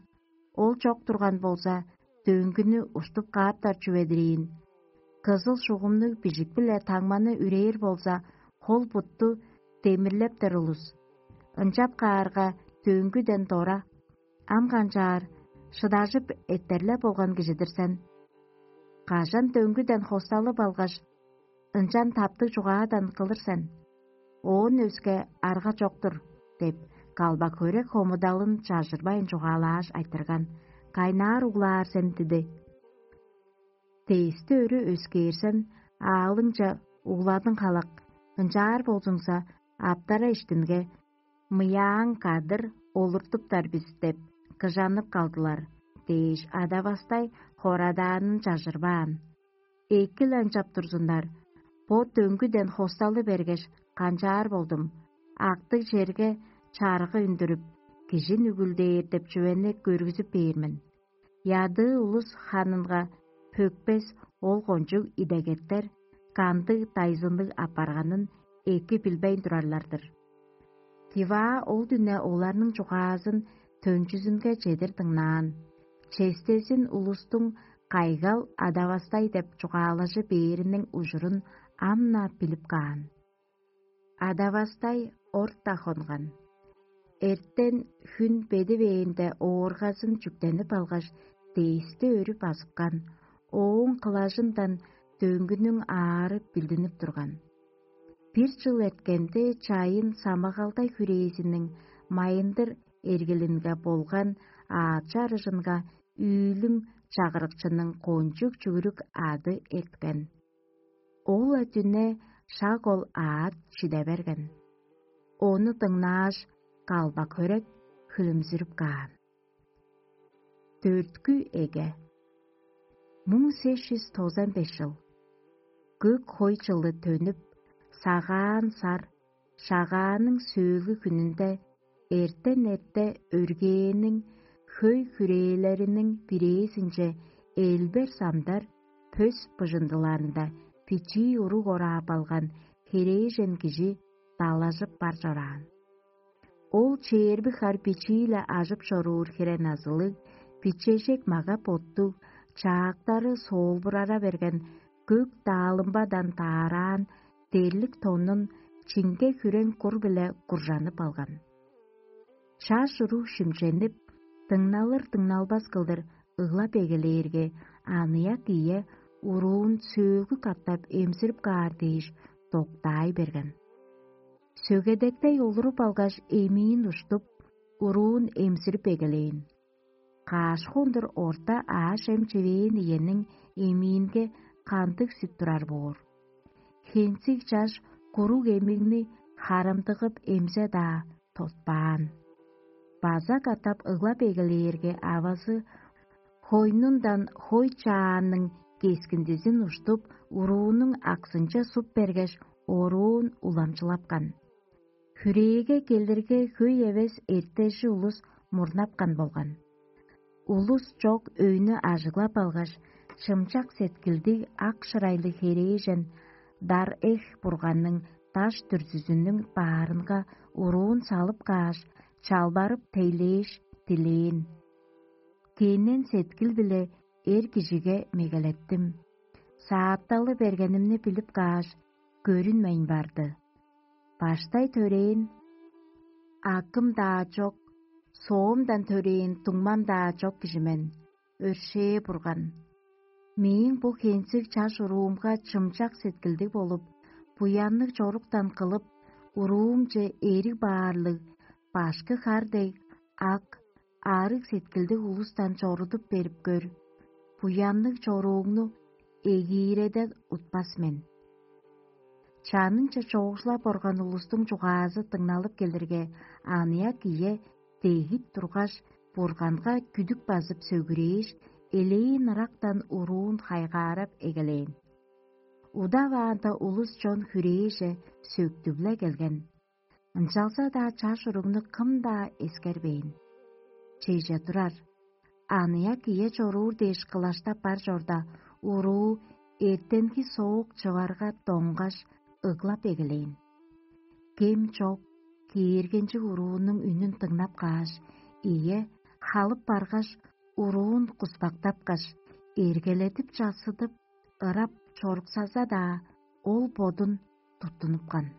ол чок турган болза, дөңгүнү уштуп кааптар чүве-дир ийин. Кызыл шугумнуг бижик-биле таңманы үрээр болза, хол-бутту демирлептер улус. Ынчап каарга, дөңгүден дора. Ам канчаар, шыдажып эттерлеп болган кижи-дир сен. Кажан дөңгүден хосталып алгаш, ынчан таптыг чугаадан кылыр сен. Оон өске арга чок-тур, — деп, калбак-хөрек хомудалын чажырбайн чугаалааш айтырган: «Кайнаар углаар сен диди? Дээсти өрү өскээрсен, аалыңче угладың халак, ынчаар болзуңза, аптара иштинге мыяаң кадыр олуртуптар бис деп кыжанып калдылар» — дээш, ада-бастай хорадаанын чажырбаан. Эки-ле ынчап турзуннар, бо дөңгүден хосталы бергеш, канчаар болдум, актыг черге чарыгы үндүрүп, кижи нүгүлдээр деп чүвени көргүзүп бээр мен. Ядыы улус ханынга пөкпес ол кончуг идегеттер кандыг дайзынныг апарганын эки билбейн турарлар-дыр. Тиваа ол дүне оларның чугаазын төнчүзүнге чедир дыңнаан. Честезин улустуң кайгал адавастай деп чугаалажы бээриниң ужурун ам-на билип каан. Адавастай орта хонган. Эртен хүн бедивээнде ооргазын чүктенип алгаш, дээсти өрү базыпкан, ооң кылажындан дөңгүнүң аары билдинип турган. Бир чыл эрткенде чайын самагалдай хүрээзиниң майындыр эргилинге болган аачы арыжынга үүлүң чагырыкчының кончуг чүгүрүк ады эрткен. Ол-ла дүне шак ол аът чиде берген. Ону дыңнааш, калбак-хөрек хүлүмзүрүп каан. Дөрткү эге. Муң сес чүс тозан беш чыл. Көк хой чылы төнүп, сагаан сар, шагааның сөөлгү хүнүнде эртен эрте өргээниң хөй хүрээлериниң бирээзинче элбер самдар пөс быжындыларында бичии уруг ораап алган херээжен кижи далажып бар чораан. Ол чээрби хар бичии-ле ажып чоруур хире назылыг, бичежек мага-боттуг, чаактары соолбурара берген көк даалымбадан даараан дерлик тонун чиңге хүрең кур-биле куржанып алган. Чаш уруг шимченип, дыңналыр-дыңналбас кылдыр ыглап эгелээрге, аныяк ие уруун сөөлгү катап эмзирип каар дээш доктаай берген. Сөгедектей олуруп алгаш, эмиин уштуп, уруун эмзирип эгелээн. Каш хондур орта ааш-чем чивээн иениң эмиинге кандыг сүт турар боор? Хензиг чаш куруг эмигни харымдыгып эмзе-даа тотпаан. База катап ыглап эгелээрге, авазы хойнундан хой чааның кескиндизин уштуп, уруунуң аксынче суп бергеш, оруун уламчылапкан. Хүрээге келирге хөй эвес эртежи улус мурнапкан болган. Улус чок өйнү ажыглап алгаш, чымчак сеткилдиг ак шырайлыг херээжен дар эх бурганның даш дүрзүзүнүң баарынга уруун салып кааш, чалбарып тейлээш, дилээн. Киинен сеткил-биле эр кижиге мегелеттим. Саапталы бергенимни билип кааш, көрүнмейн барды. Баштай төрээн: «Акым-даа чок, соомдан төрээн дуңмам-даа чок кижи мен, өршээ Бурган. Мээң бо хензиг чаш уруумга чымчак сеткилдиг болуп, буянныг чоруктан кылып, уруумче эриг баарлыг, башкы хар дег ак, арыг сеткилдиг улустан чорудуп берип көр. Буянныг чорууңну эгииреден утпас мен». Чанынче чоокшулап орган улустуң чугаазы дыңналып келирге, аныяк ие дегип тургаш, Бурганга күдүк базып сөгүрээш, элээн ырактан уруун хайгаарап эгелээн. Удаваанда улус-чон хүрээже сөктүп-ле келген. Ынчалза-даа чаш уругну кым-даа эскербээн. Чеже турар, аныяк ие чоруур дээш кылаштап бар чорда, уруу эртенги соок чыварга доңгаш, ыглап эгелээн. Кем чок, кээргенчиг уруунуң үнүн дыңнап кааш, ие халып баргаш, уруун куспактапкаш, эргеледип чассыдып, ырап чоруксаза-даа, ол бодун туттунупкан.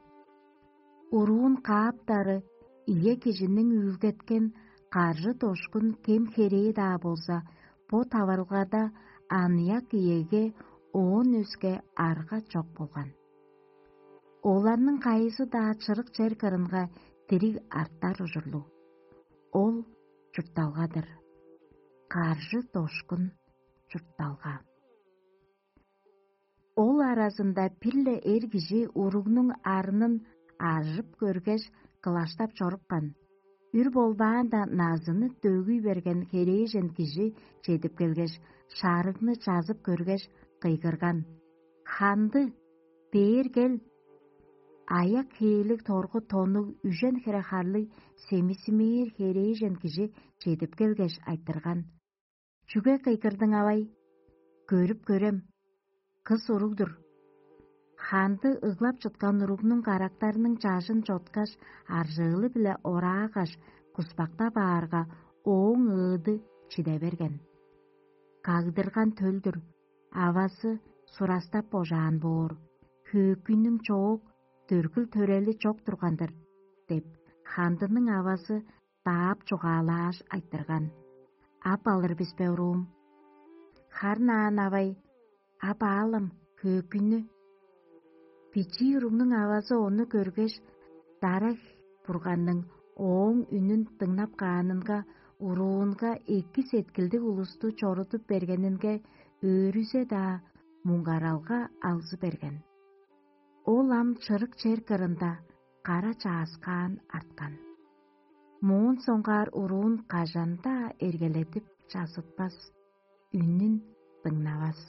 Уруун кааптары ие кижиниң үүлгеткен каржы-дошкун кем-херээ-даа болза, бо таварылгада аныяк иеге оон өске арга чок болган. Оларның кайызы-даа чырык чер кырынга дириг артар ужурлуг. Ол чуртталга-дыр. Каржы-дошкун чуртталга. Ол аразында бир-ле эр кижи уругнуң арынын ажып көргеш, кылаштап чорупкан. Үр болбаанда назыны дөгүй берген херээжен кижи чедип келгеш, шарыгны чазып көргеш, кыйгырган: «Ханды, бээр кел!» Аяк хээлиг торгу тоннуг үжен хире харлыг семисимээр херээжен кижи чедип келгеш, айтырган: «Чүге кыйгырдың, авай? Көрүп көрем, кыс уруг-дур». Ханды ыглап чыткан уругнуң карактарының чажын чоткаш, аржыылы-биле ораагаш, куспактап аарга, ооң ыыды чиде берген. Кагдырган төл-дүр, авазы сурастап божаан боор, хөөкүйнүң чоок, дөргүл-төрели чок турган-дыр, — деп, хандының авазы даап чугаалааш айтырган: «Ап алыр бис бе, уруум?» «Харын аан, авай, ап аалам, хөөкүйнү». Бичии уругнуң авазы ону көргеш, дара Бурганның ооң үнүн дыңнап каанынга, уруунга эки сеткилдиг улусту чорудуп бергенинге өөрүзе-даа муңгаралга алзы берген. Ол ам чырык чер кырында кара чааскаан арткан. Моон соңгаар уруун кажан-даа эргеледип чазытпас, үнүн дыңнавас.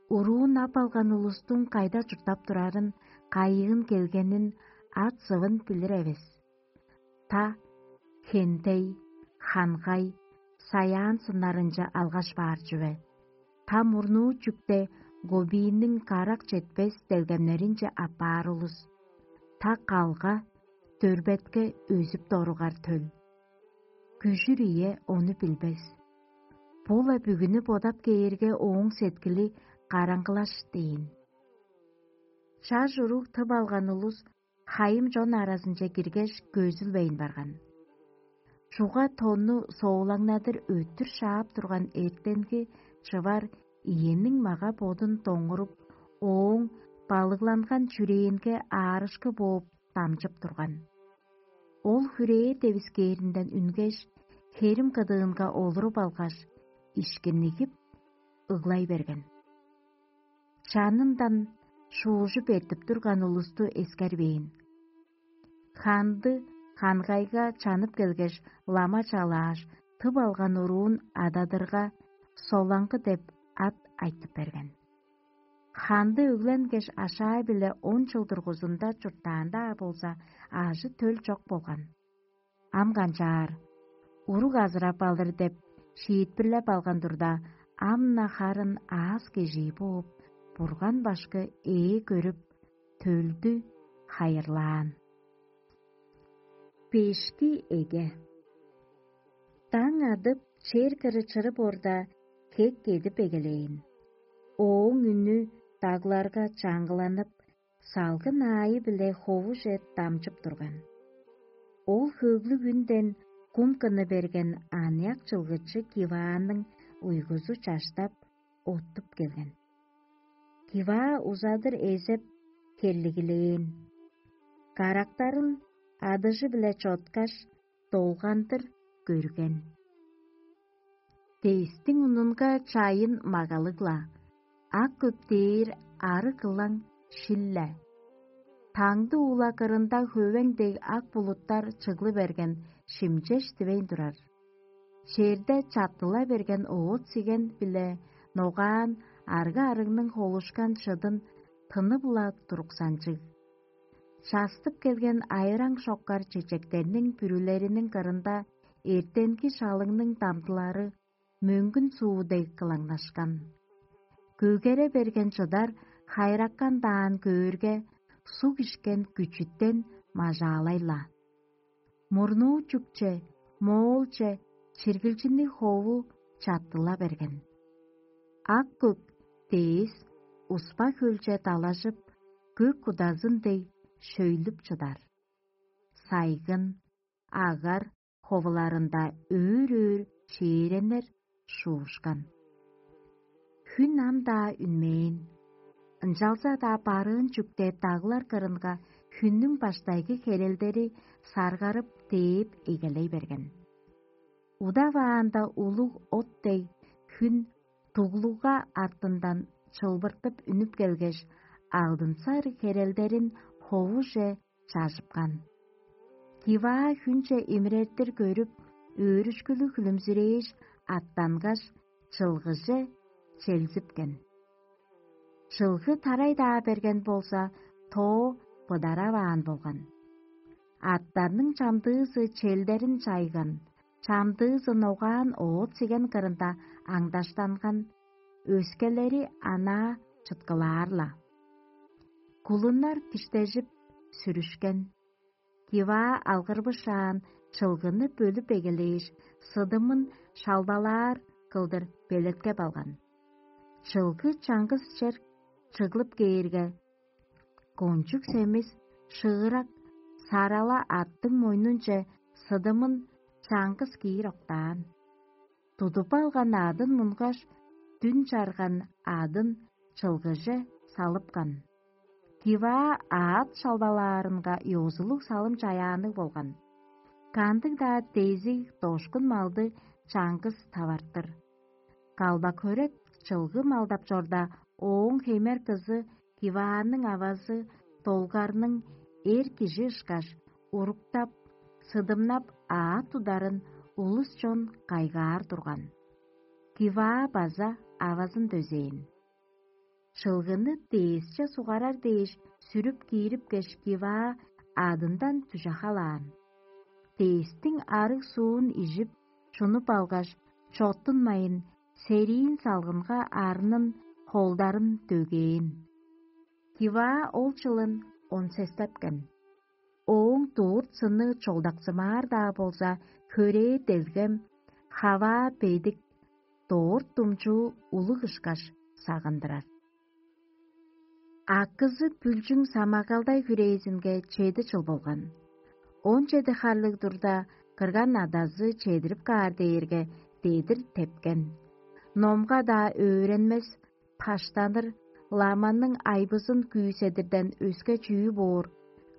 Уруун ап алган улустуң кайда чурттап турарын, кайыын келгенин, ат-сывын билир эвес. Та хендей, хангай, саяан сыннарынче алгаш баар чүве. Та мурнуу чүкте гобийниң карак четпес делгемнеринче аппаар улус. Та калга, дөрбетке өзүп доругар төл. Күжүр ие ону билбес. Бу-ла бүгүнү бодап кээрге, ооң сеткили караңгылаш дээн. Чаш уруг тып алган улус хайым чон аразынче киргеш, көзүлбейн барган. Чуга тонну соолаңнадыр өттүр шаап турган эртенги чывар иениң мага-бодун доңуруп, ооң балыгланган чүрээнге аарышкы бооп дамчып турган. Ол хүрээ девискээринден үнгеш, херим кыдыынга олуруп алгаш, ишкиннигип, ыглай берген. Чанындан шуужуп эртип турган улусту эскербээн. Ханды хангайга чанып келгеш, лама чалааш, тып алган уруун ададырга, Солаңгы деп ат айтып берген. Ханды өгленгеш, ашаа-биле он чыл дургузунда чурттаан-даа болза, ажы-төл чок болган. Ам канчаар, уруг азырап алыр деп шиитпирлеп алган турда, ам-на харын аас-кежии бооп, Бурган башкы ээ көрүп, төлдү хайырлаан. Бешки эге. Даң адып, чер кыры чырып орда, хек кедип эгелээн. Ооң үнү дагларга чаңгыланып, салгын аайы-биле ховуже дамчып турган. Ол хөглүг үнден кум кыны берген аныяк чылгычы Кивааның уйгузу чаштап, оттуп келген. Киваа узадыр эзеп, херлигилээн. Карактарын адыжы-биле чоткаш, долгандыр көрген. Дээстиң унунга чайын магалыг-ла, ак көп дээр ары кылаң шил-ле. Таңды уула кырында хөвең дег ак булуттар чыглы берген шимчеш дивейн турар. Черде чаттыла берген оът-сиген биле ногаан арга-арыгның холушкан чыдын тынып-ла туруксанчыг. Частып келген айраң шоккар чечектерниң бүрүлериниң кырында эртенги шалыңның дамдылары мөңгүн суу дег кылаңнашкан. Көгере берген чыдар хайраккан даан көөрге, суг ишкен күчүттен мажаалай-ла. Мурнуу чүкче, моолче чиргилчинниг хову чаттыла берген. Ак көк дээс успа хөлче далажып, көк кудазын дег шөйлүп чыдар. Сайгын, агар ховуларында өөр-өөр чээреннер шуушкан. Хүн ам-даа үнмээн. Ынчалза-даа барыын чүктеп даглар кырынга хүннүң баштайгы херелдери саргарып дээп эгелей берген. Удаваанда улуг от дег хүн дуглугга артындан чылбыртып үнүп келгеш, алдынсар херелдерин ховуже чажыпкан. Киваа хүнче имирертир көрүп, өөрүшкүлүг хүлүмзүрээш, аттангаш, чылгыже челзипкен. Чылгы тарай-даа берген болза, тоо быдараваан болган. Аттарның чамдыызы челдерин чайган, чамдыызы ногаан оът-сиген кырында аңдаштанган, өскелери анаа чыткылаар-ла. Кулуннар киштежип, сүрүшкен. Киваа алгырбышаан чылгыны бөлүп эгелээш, сыдымын шалбалаар кылдыр белеткеп алган. Чылгы чаңгыс чер чыглып кээрге, кончуг семис шыырак сарала аттың мойнунче сыдымын чаңгыс киир октаан. Тудуп алган адын мунгаш, дүн чарган адын чылгыже салыпкан. Киваа аът шалбалаарынга ёзулуг салым чаяанныг болган. Кандыг-даа дезиг дошкун малды чаңгыс тавартыр. Калбак-хөрек чылгы малдап чорда, ооң хемер кызы Кивааның авазы долгарның эр кижи ышкаш, уруктап, сыдымнап аът тударын улус-чон кайгаар турган. Киваа база авазын дөзээн. Чылгыны дээсче сугарар дээш сүрүп киирипкеш, Киваа адындан дүжахалаан. Дээстиң арыг суун ижип, чунуп алгаш, чоттунмайн, сериин салгынга арнын холдарын дөгээн. Киваа ол чылын он сестепкен. Ооң дурт сыны чолдаксымаар-даа болза, хөрээ делгем, хаваа бедик, дорт думчуу улуг ышкаш сагындырар. Акызы Бүлчүң самагалдай хүрээзинге чеди чыл болган. Он чеди харлыг турда, кырган адазы чедирип каар дээрге, дедир тепкен. Номга-даа өөренмес, паштаныр, ламанның айбызын күүседирден өске чүү боор,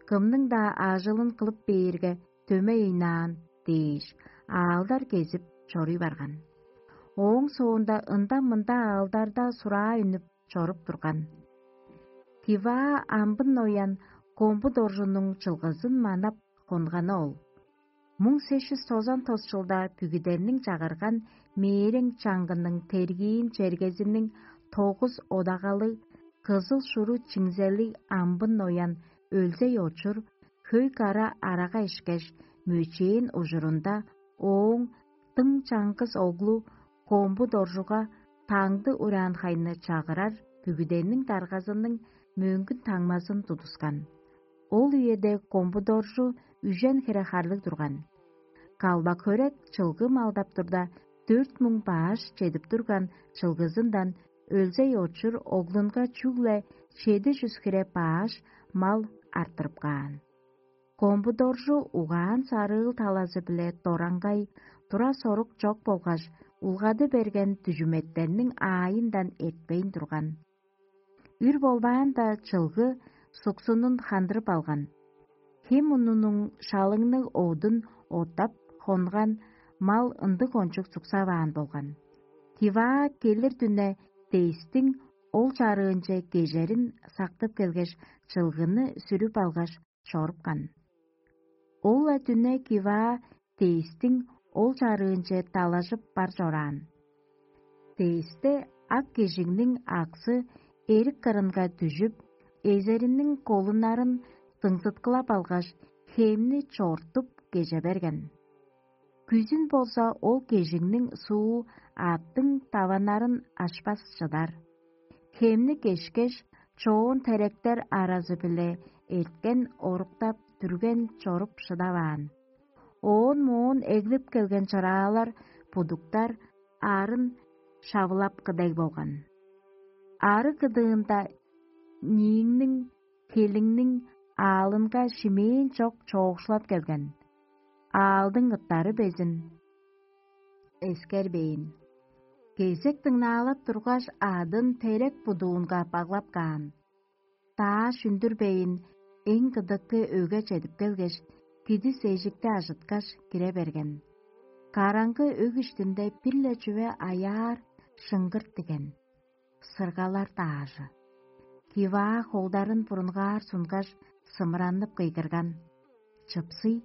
кымның-даа ажылын кылып бээрге, дөмей ыйнаан дээш, аалдар кезип чоруй барган. Ооң соонда ында-мында аалдарда сураа үнүп чоруп турган. Киваа амбын ноян комбу доржунуң чылгызын манап хонганы ол. Муң сес чүс тозан тос чылда бүгүдерниң чагырган мээрең чаңгының тергиин чергезиниң тогус одагалыг кызыл шуру чиңзелиг амбын ноян өлзей очур, хөй кара арага ишкеш, мөчээн ужурунда ооң дың чаңгыс оглу комбу доржуга таңды ураан хайны чагырар бүгүдениң даргазының мөңгүн таңмазын тудускан. Ол үеде Комбудоржу үжен хире харлыг турган. Калбак-хөрек чылгы малдап турда, дөрт муң баш чедип турган чылгызындан өлзей очур оглунга чүгле чеди чүс хире баш мал арттырып каан. Комбудоржу угаан-сарыыл талазы-биле дораңгай, тура-сорук чок болгаш, улгады берген дүжүметтерниң аайындан эртпейн турган. Үр болбаанда, чылгы суксунун хандырып алган. Хем унунуң шалыңныг одун оттап хонган мал ындыг кончуг суксаваан болган. Тиваа келир дүне Дейстиң ол чарыынче кежерин сактып келгеш, чылгыны сүрүп алгаш, чорупкан. Ол-ла дүне Киваа Дейстиң ол чарыынче далажып бар чораан. Дейсте ак кижиңниң аксы эрик кырынга дүжүп, эзериниң колуннарын дыңзыткылап алгаш, хемни чортуп кеже берген. Күзүн болза ол кежиңниң суу аъттың таваннарын ашпас чыдар. Хемни кешкеш, чоон теректер аразы-биле эрткен оруктап дүрген чоруп шыдаваан. Оон моон эглип келген чыраалар будуктар арын шавылапкы дег болган. Ары кыдыында нииңниң, хелиңниң аалынга шимээн чок чоокшулап келген. Аалдың ыттары безин эскербээн. Кезек дыңнаалап тургаш, адын терек будуунга баглап каан. Дааш үндүрбейн, эң кыдыкы өге чедип келгеш, кидис эжикти ажыткаш, кире берген. Караңгы өг иштинде бир-ле чүве аяар шыңгырт диген. Сыргалар даажы. Киваа холдарын бурунгаар сунгаш, сымыраннып кыйгырган: «Чыпсый!»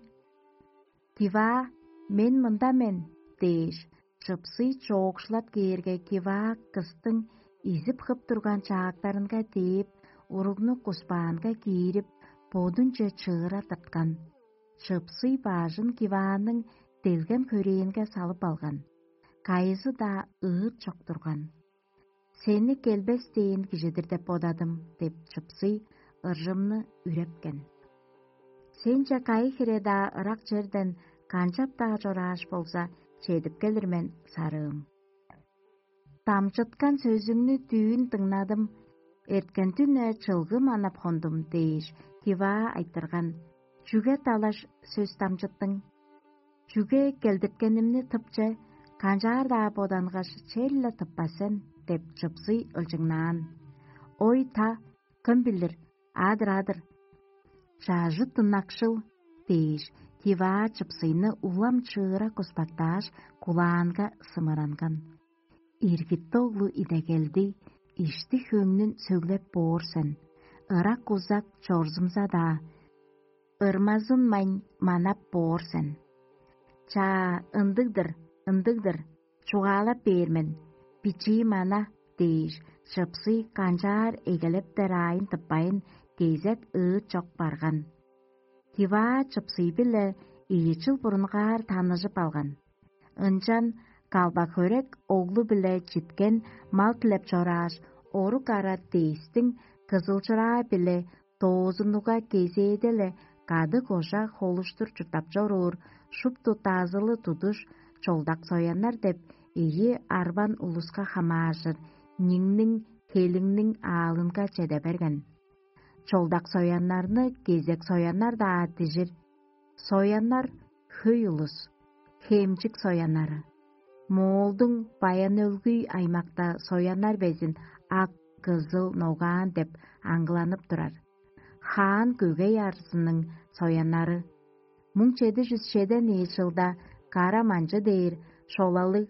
«Киваа, мен мында мен!» – дээш, чыпсый чоокшулап кээрге, Киваа кыстың изип-хып турган чаактарынга дээп, уругну куспаанга киирип, бодунче чыыра тырткан. Чыпсый бажын Кивааның делгем-хөрээнге салып алган. Кайызы-даа ыыт чок турган. «Сени келбес дээн кижи-дир деп бодадым» – деп чыпсый ыржымны үрепкен. «Сенче кайы хире-даа ырак черден канчап-даа чорааш болза, чедип келир мен, сарыым. Дамчыткан сөзүңнү дүүн дыңнадым, эрткен дүне чылгы манап хондум» – дээш, Киваа айтырган: «Чүге далаш сөс дамчыттың? Чүге келдирткенимни тыпче, канчаар-даа бодангаш, черле тыппас сен?» – деп чыпсый ылчыңнаан. «Ой, та, кым билир, адыр-адыр, чажыт ынакшыл» – дээш, Киваа чыпсыйны улам чыыра куспактааш, кулаанга сымыранган. «Иргит оглу идегелди, ишти-хөңнүн сөглеп боор сен, ырак-узак чорзумза-даа, ырмазынмайн манап боор сен. Чаа, ындыг-дыр, ындыг-дыр, чугаалап бээр мен, бичии мана» – дээш, чыпсый канчаар эгелептер аайын тыппайн, кезек ыыт чок барган. Киваа чыпсый-биле ийи чыл бурунгаар таныжып алган. Ынчан Калбак-хөрек оглу-биле читкен мал дилеп чорааш, орук ара Дейстиң Кызыл-Чыраа-биле доозуннуга кезээде-ле кады-кожа холуштур чурттап чоруур шупту дазылы тудуш Чолдак-Сояннар деп ийи арбан улуска хамааржыр ниңниң, хелиңниң аалынга чеде берген. Чолдак-Сояннарны кезек Сояннар-даа дижир. Сояннар – хөй улус, Хемчик Сояннары. Моолдуң Баян-Өлгүй аймакта Сояннар безин ак, кызыл, ногаан деп аңгыланып турар. Хаан Көгей арзының Сояннары. Муң чеди чүс чеден ийи чылда Кара Манчы дээр шолалыг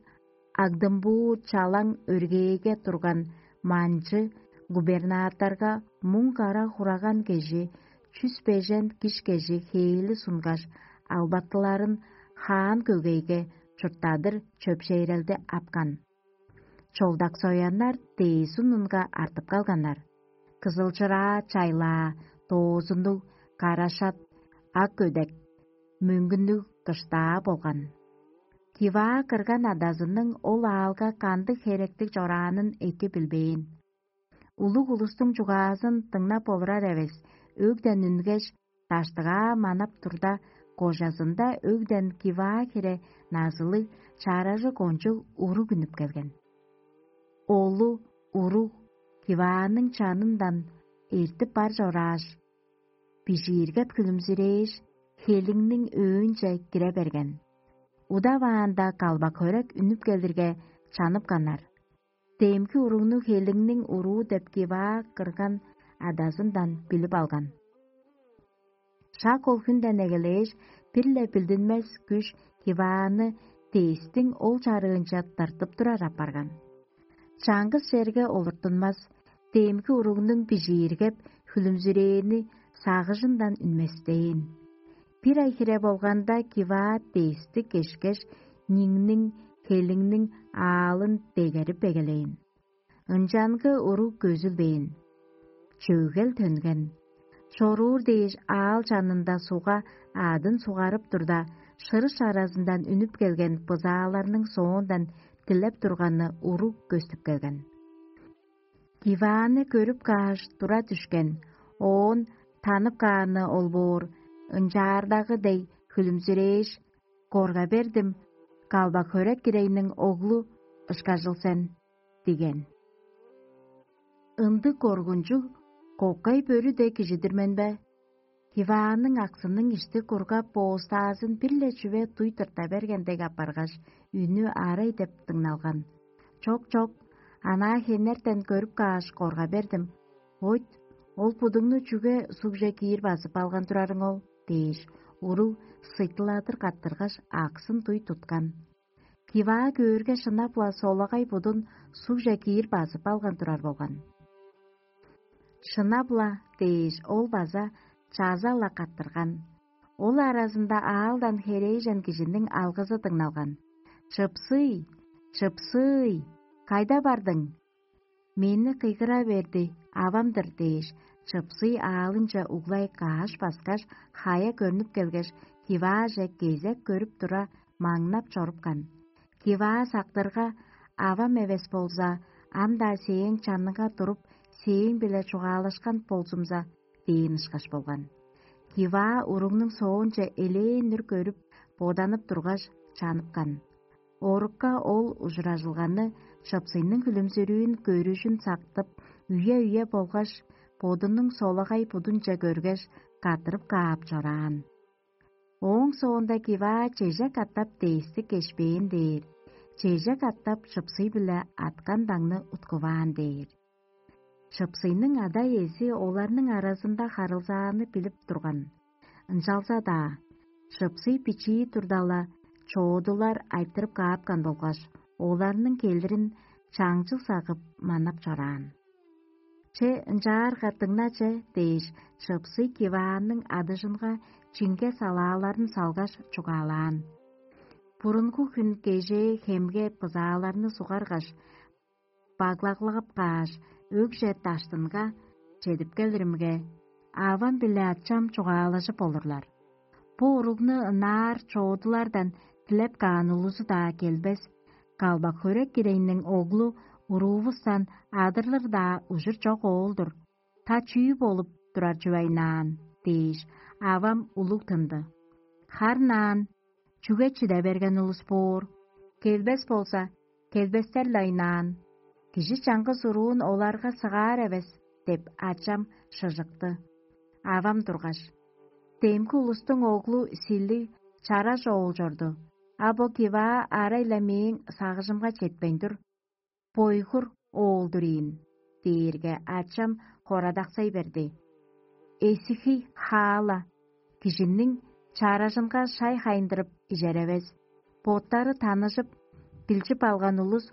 Агдымбуу чалаң өргээге турган Манчы губернаторга муң кара хураган кижи чүс бежен киш кежи хээли сунгаш, албатыларын Хаан Көгейге чурттадыр чөпшээрелди апкан. Чолдак-Сояннар дээзин унга артып калганнар. Кызыл-Чыраа чайлаа, доозуннуг, карашат, ак көдек, мөңгүннүг кыштаа болган. Киваа кырган адазының ол аалга кандыг херектиг чораанын эки билбээн. Улуг улустуң чугаазын дыңнап олурар эвес, өгден үнгеш, даштыгаа манап турда, кожазында өгден киваа хире назылыг чааражы кончуг уруг үнүп келген. Олу уруг кивааның чанындан эртип бар чорааш, бижииргеп хүлүмзүрээш, хелиңниң өөнче кире берген. Удаваанда калбак хөрек үнүп келирге, чаныпканнар. Демги уругну хелиңниң уруу деп киваа кырган адазындан билип алган. Шак ол хүнден эгелээш, бир-ле билдинмес күш кивааны дээстиң ол чарыынче тыртып турар апарган. Чаңгыс черге олуртунмас, демги уругнуң бижииргеп, хүлүмзүрээни сагыжындан үнместээн. Бир ай хире болганда киваа дээстиг кешкеш, ниңниң, хелиңниң аалын дегерип эгелээн. Ынчангы уруг көзүлбээн. Чөгел төнген. Чоруур дээш аал чанында сугга аъдын сугарып турда, шырыш аразындан үнүп келген бызааларның соондан дилеп турганы уруг көстүп келген. Дивааны көрүп кааш, тура дүшкен, оон танып кааны ол боор, ынчаардагы дег хүлүмзүрээш: «Корга бердим, калбак хөрек кирейниң оглу ышкажыл сен» – диген. Ындыг коргунчуг, кокай бөрү дег кижи-дир мен бе? Диваанның аксының ишти кургап, боостаазын бир-ле чүве дуй тырта берген дег апаргаш, үнү арай деп дыңналган. Чок, чок, анаа хенертен көрүп кааш, корга бердим. Ойт, ол будуңну чүге сугже киир базып алган турарың ол? – дээш, уруг сыйтыладыр каттыргаш, аксын дуй туткан. Киваа көөрге, шынап-ла солагай будун сугже киир базып алган турар болган. «Шынап-ла» – дээш, ол база чаза-ла каттырган. Ол аразында аалдан херээжен кижиниң алгызы дыңналган: «Чыпсый! Чыпсый! Кайда бардың?» «Мени кыйгыра берди, авам-дыр» – дээш, чыпсый аалынче углай кааш баскаш, хая көрнүп келгеш, кивааже кезек көрүп тура, маңнап чорупкан. Киваа сактырга: «Авам эвес болза, ам-даа сээң чаныңга туруп, сээң-биле чугаалашкан болзумза» – дээн ышкаш болган. Киваа уругнуң соонче элээн-нир көрүп, боданып тургаш, чаныпкан. Орукка ол ужуражылганы, чыпсыйның хүлүмзүрүүн, көрүжүн сактып, үе-үе болгаш бодунуң солагай будунче көргеш, каттырып каап чораан. Ооң соонда киваа чеже катап дээстик кешпээн дээр, чеже катап чыпсый-биле аткан даңны уткуваан дээр. Чыпсыйның ада-иези оларның аразында харылзааны билип турган. Ынчалза-даа чыпсый бичии турда-ла, чоодулар айтырып каапкан болгаш, оларның келирин чаңчыл сагып манап чораан. «Че, ынчаарга дыңна че» – дээш, чыпсый кивааның адыжынга чиңге салааларын салгаш, чугаалаан. Бурунгу хүн кежээ хемге бызааларны сугаргаш, баглаглап кааш, өгже даштынга чедип келиримге, авам биле ачам чугаалажып олурлар. Бо уругну ынаар чоодулардан дилеп каан улузу-даа келбес, калбак хөрек кирейниң оглу уруувустан адырлыр-даа ужур чок оол-дур. Та чүү болуп турар чүве айнаан? – дээш, авам улуг тынды. Харын аан, чүге чиде берген улус боор? Келбес болза, келбестер-ле айнаан. Кижи чаңгыс уруун оларга сыгаар эвес деп, ачам шыжыкты. Авам тургаш: «Демги улустуң оглу силиг, чараш оол чорду, а бо киваа арай-ла мээң сагыжымга четпейн тур. Бойгур оол-дур ийин» – дээрге, ачам хорадаксай берди: «Эсихий хаала, кижиниң чаражынга шай хайындырып ижеревес. Боттары таныжып, билчип алган улус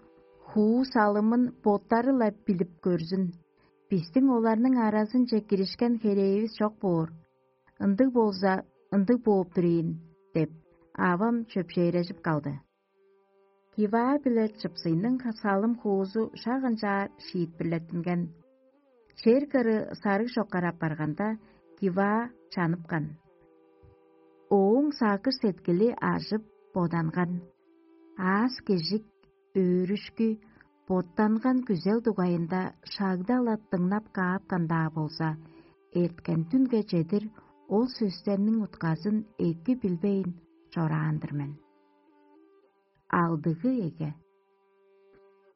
хуу салымын боттары-ла билип көрзүн. Бистиң оларның аразынче киришкен херээвис чок боор. Ындыг болза, ындыг бооп тур ийин» – деп, авам чөпшээрежип калды. Киваа биле чыпсыйның салым-хуузу шак ынчаар шиитпирлеттинген. Чер кыры сарыг чоккар апарганда, киваа чаныпкан. Ооң сагыш-сеткили ажып, боданган. Аас-кежик, өөрүшкү, боттанган күзел дугайында шагда-ла дыңнап каапкан-даа болза, эрткен дүнге чедир ол сөстерниң утказын эки билбейн чораан-дыр мен. Алдыгы эге.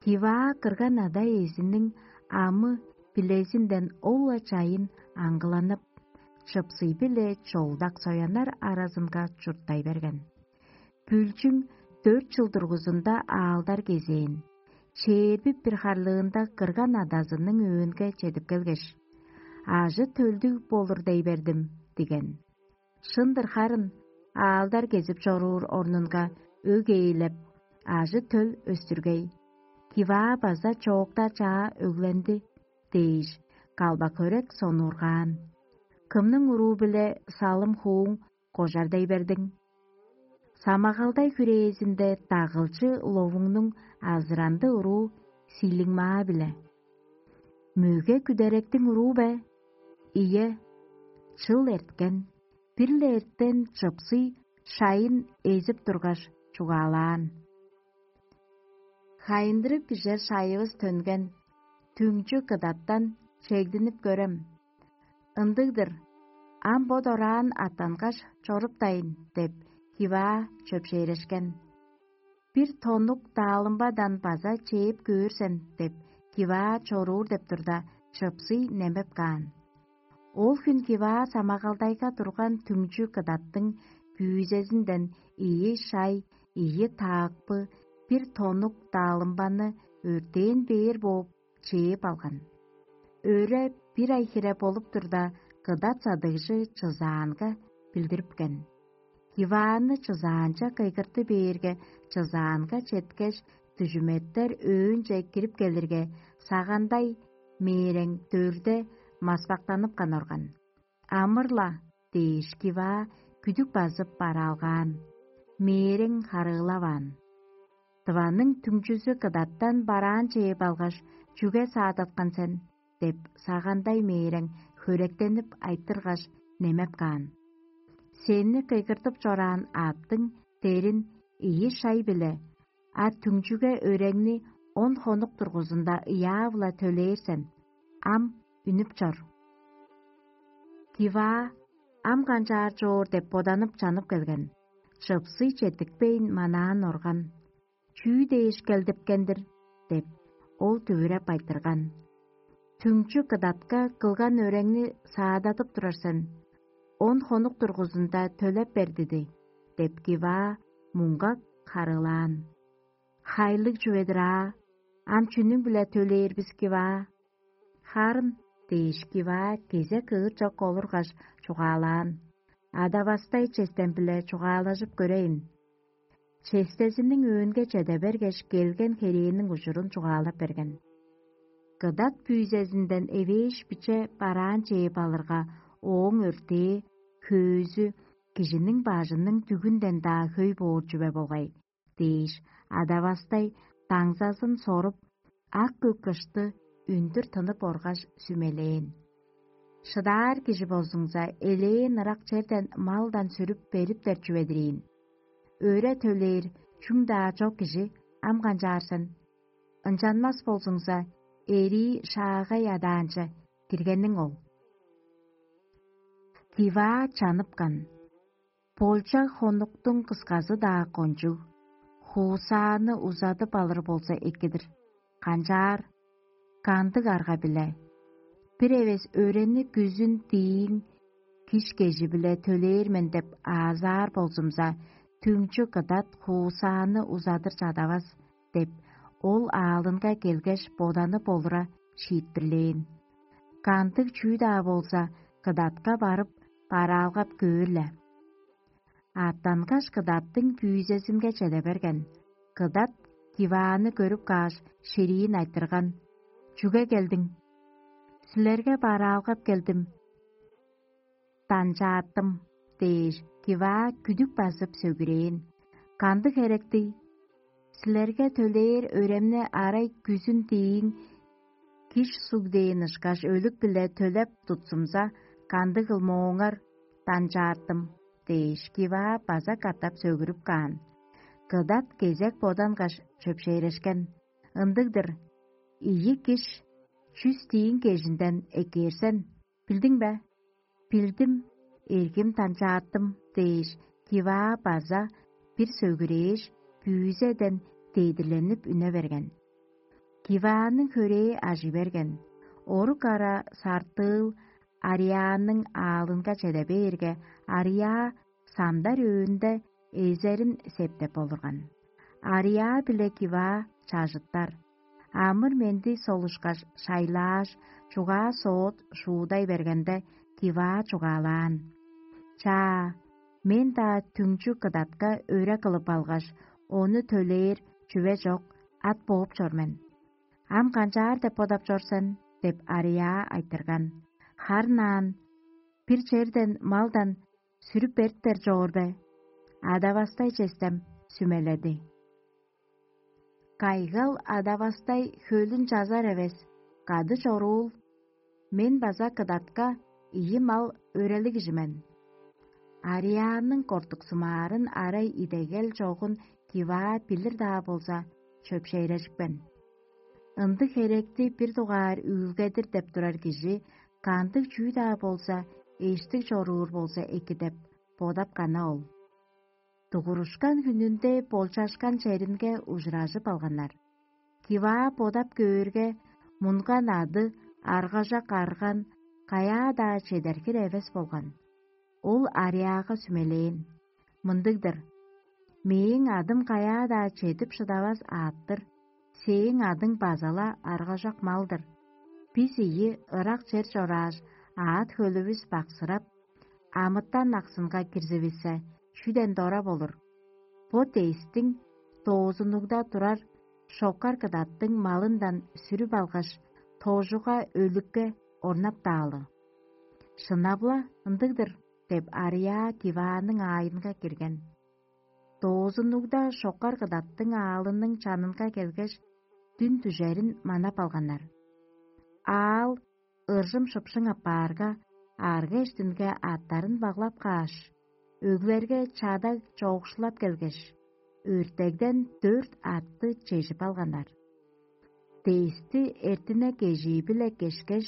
Киваа кырган ада эзиниң амы билезинден ол-ла чайын аңгыланып, чыпсый-биле чолдак сояннар аразынга чурттай берген. Бүлчүң дөрт чыл дургузунда аалдар кезээн, чээрби бир харлыында кырган адазының өөнге чедип келгеш: «Ажы-төлдүг болур дей бердим» – диген. Шын-дыр харын, аалдар кезип чоруур орнунга өг ээлеп, ажы-төл өстүргей. Киваа база чоокта чаа өгленди дээш, калбак-хөрек сонуургаан. Кымның уруу-биле салым-хууң кожар дей бердиң? Самагалдай хүрээзинде дагылчы ловуңнуң азыранды уруу сиилиңмаа-биле. Мөге күдеректиң уруу бе? Ийе, чыл эрткен, бир-ле эртен чыпсый шайын эзип тургаш, чугаалаан: «Хайындырып бижер шайывыс төнген, түңчү кыдаттан чегдинип көрем. Ындыг-дыр, ам бо дораан аттангаш чоруптайн» – деп, Киваа чөпшээрешкен. «Бир тоннук даалымбадан база чээп көөр сен» – деп, Киваа чоруур деп турда, чыпсый немеп каан. Ол хүн Киваа самагалдайга турган түңчү кыдаттың күүзезинден ийи шай, ийи таакпы, бир тоннук даалымбаны өртээн бээр бооп чээп алган. Өре бир ай хире болуп турда, кыдат садыгжы чызаанга билдирипкен. Кивааны чызаанче кыйгырты бээрге, чызаанга четкеш, дүжүметтер өөнче кирип келирге, сагандай мээрең дөрде маспактаныпкан орган. «Амыр-ла» – дээш, Киваа күдүк базып бараалгаан, мээрең харыылаваан. «Тываның түңчүзү кыдаттан бараан чээп алгаш, чүге саадаткан сен?» – деп, сагандай мээрең хөректенип айтыргаш, немеп каан. «Сени кыйгыртып чораан аъттың дерин ийи шай-биле, а түңчүге өреңни он хонук дургузунда ыяа-биле төлээр сен. Ам үнүп чор». Киваа: «Ам канчаар чоор?» – деп боданып чанып келген. Чыпсый четтикпейн манаан орган. «Чүү дээш келдипкен-дир?» – деп, ол дүвүреп айтырган. «Түңчү кыдатка кылган өреңни саададып турар сен. Он хонук дургузунда төлеп бер диди» – деп, Киваа муңгак харыылаан. «Хайлыг чүве-дир аа, ам чүнүң-биле төлээр бис, Киваа?» «Харын» – дээш, Киваа кезек ыыт чок олургаш, чугаалаан: «Адавастай честен-биле чугаалажып көрейн». Честезиниң өөнге чеде бергеш, келген херээниң ужурун чугаалап берген. «Кыдат пүүзезинден эвээш биче бараан чээп алырга, ооң өртээ, хөөзү кижиниң бажының дүгүнден-даа хөй боор чүве болгай» – дээш, адавастай даңзазын соруп, ак көк кышты үндүр тынып оргаш, сүмелээн. «Шыдаар кижи болзуңза, элээн ырак черден малдан сүрүп бериптер чүве-дир ийин. Өре төлээр чүң-даа чок кижи ам канчаар сен? Ынчанмас болзуңза, эрии шаагай адаанче киргениң ол». Киваа чаныпкан. Болчаг хонуктуң кысказы-даа кончуг, хуусааны узадып алыр болза эки-дир. Канчаар? Кандыг арга-биле? Бир эвес өрени күзүн дииң киш кежи-биле төлээр мен деп аазаар болзумза, түңчү кыдат хуусааны узадыр чадавас деп, ол аалынга келгеш, боданып олура шиитпирлээн. Кандыг чүү-даа болза, кыдатка барып, бараалгап көөр-ле. Аъттангаш кыдаттың пүүзезинге чеде берген. Кыдат Кивааны көрүп кааш, шириин айтырган: «Чүге келдиң?» «Силерге бараалгап келдим, данчааттым» – дээш, Киваа күдүк базып сөгүрээн. «Кандыг херектий? Силерге төлээр өремни арай күзүн дииң киш суг дээн ышкаш өлүк-биле төлеп тутсумза, кандыгыл мооңар, данчааттым» – дээш, Киваа база катап сөгүрүп каан. Кыдат кезек бодангаш чөпшээрешкен: «Ындыг-дыр, ийи киш чүс дииң кежинден эккээрсен, билдиң бе?» «Билдим» эргим данчааттым дээш, Киваа база бир сөгүрээш, бүүзеден дедирленип үне берген. Кивааның хөрээ ажый берген. Орук ара сартыыл Ариааның аалынга чеде бээрге, Ариаа самдар өөнде эзерин септеп олурган. Ариаа биле Киваа чажыттар. Амыр-менди солушкаш шайлааш, чугаа соот шуудай бергенде, Киваа чугаалаан: «Чаа, мен-даа түңчү кыдатка өре кылып алгаш, ону төлээр чүве чок, ат бооп чор мен. Ам канчаар деп бодап чор сен?» — деп Ариаа айтырган. «Харын аан, бир черден малдан сүрүп бериптер чоор бе?» Адавастай честем сүмеледи: «Кайгал адавастай хөлүн чазар эвес, кады чоруул. Мен база кыдатка ийи мал өрелиг кижи мен». Ариааның кортуксумаарын арай идегел чогун Киваа билир-даа болза, чөпшээрежипкен. Ындыг херекти бир дугаар үүлгедир деп турар кижи кандыг чүү-даа болза, эштиг чоруур болза эки деп бодап кана ол. Дугурушкан хүнүнде болчашкан черинге ужуражып алганнар. Киваа бодап көөрге, мунган ады аргажак арган каяа-даа чедер хире эвес болган. Ол Ариага сүмелээн: «Мындыг-дыр: „Мээң адым каяа-даа чедип шыдавас аът-тыр, сээң адың база-ла аргажак мал-дыр. Бис ийи ырак чер чорааш, аът-хөлүвүс баксырап, амытан аксынга кирзивиссе, чүден дора болур? Бо дээстиң доозунугда турар шокар кыдаттың малындан сүрүп алгаш, тоожуга өлүкке орнаптаалы». «Шынап-ла ындыг-дыр» — деп, Ариа Кивааның аайынга кирген. Доозуннугда шокар кыдаттың аалының чанынга келгеш, дүн дүжерин манап алганнар. Аал ыржым-шыпшың апаарга, арга-эштинге аъттарын баглап кааш, өглерге чадаг чоокшулап келгеш, өртегден дөрт аътты чежип алганнар. Дээсти эртине кежии-биле кешкеш,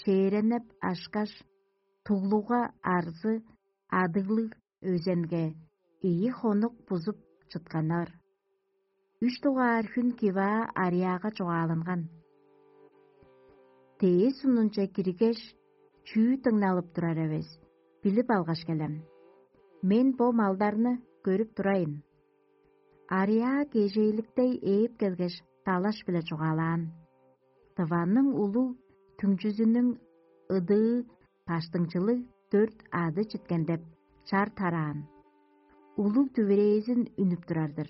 чээренеп ашкаш, туглуга арзы адыглыг өзенге ийи хонук бузуп чытканнар. Үш дугаар хүн Киваа Ариага чугааланган. Дээс сунунче киргеш, чүү дыңналып турар эвес, билип алгаш келем. Мен бо малдарны көрүп турайын. Ариа кежээликтей ээп келгеш, далаш-биле чугаалаан. Дыванның улуг түңчүзүнүң ыдыы баштыңчылыг дөрт ады читкен деп чар тараан. Улуг дүвирээзин үнүп турар-дыр.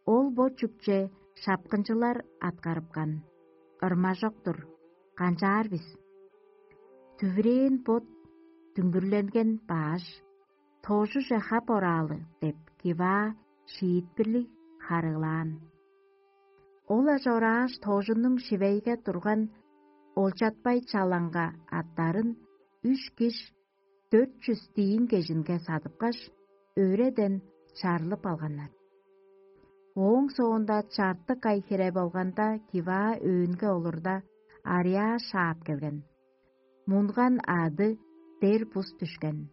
Ол бо чүкче шапкынчылар аткарыпкан. Ырмажок-тур, канчаар бис? Дүвирээн бот дүңгүрленген бааш, тоожуже хап ораалы деп, Киваа шиитпирлиг харыылаан. Ол ажорааш, тоожунуң шивейге турган олчатпай чалаңга аттарын үш киш дөрт чүс диин кежинге садыпкаш, өреден чарлып алганнар. Ооң соонда чартык ай хире болганда, Киваа өөнге олурда, Ариа шаап келген. Мунган ады дер бус дүшкен.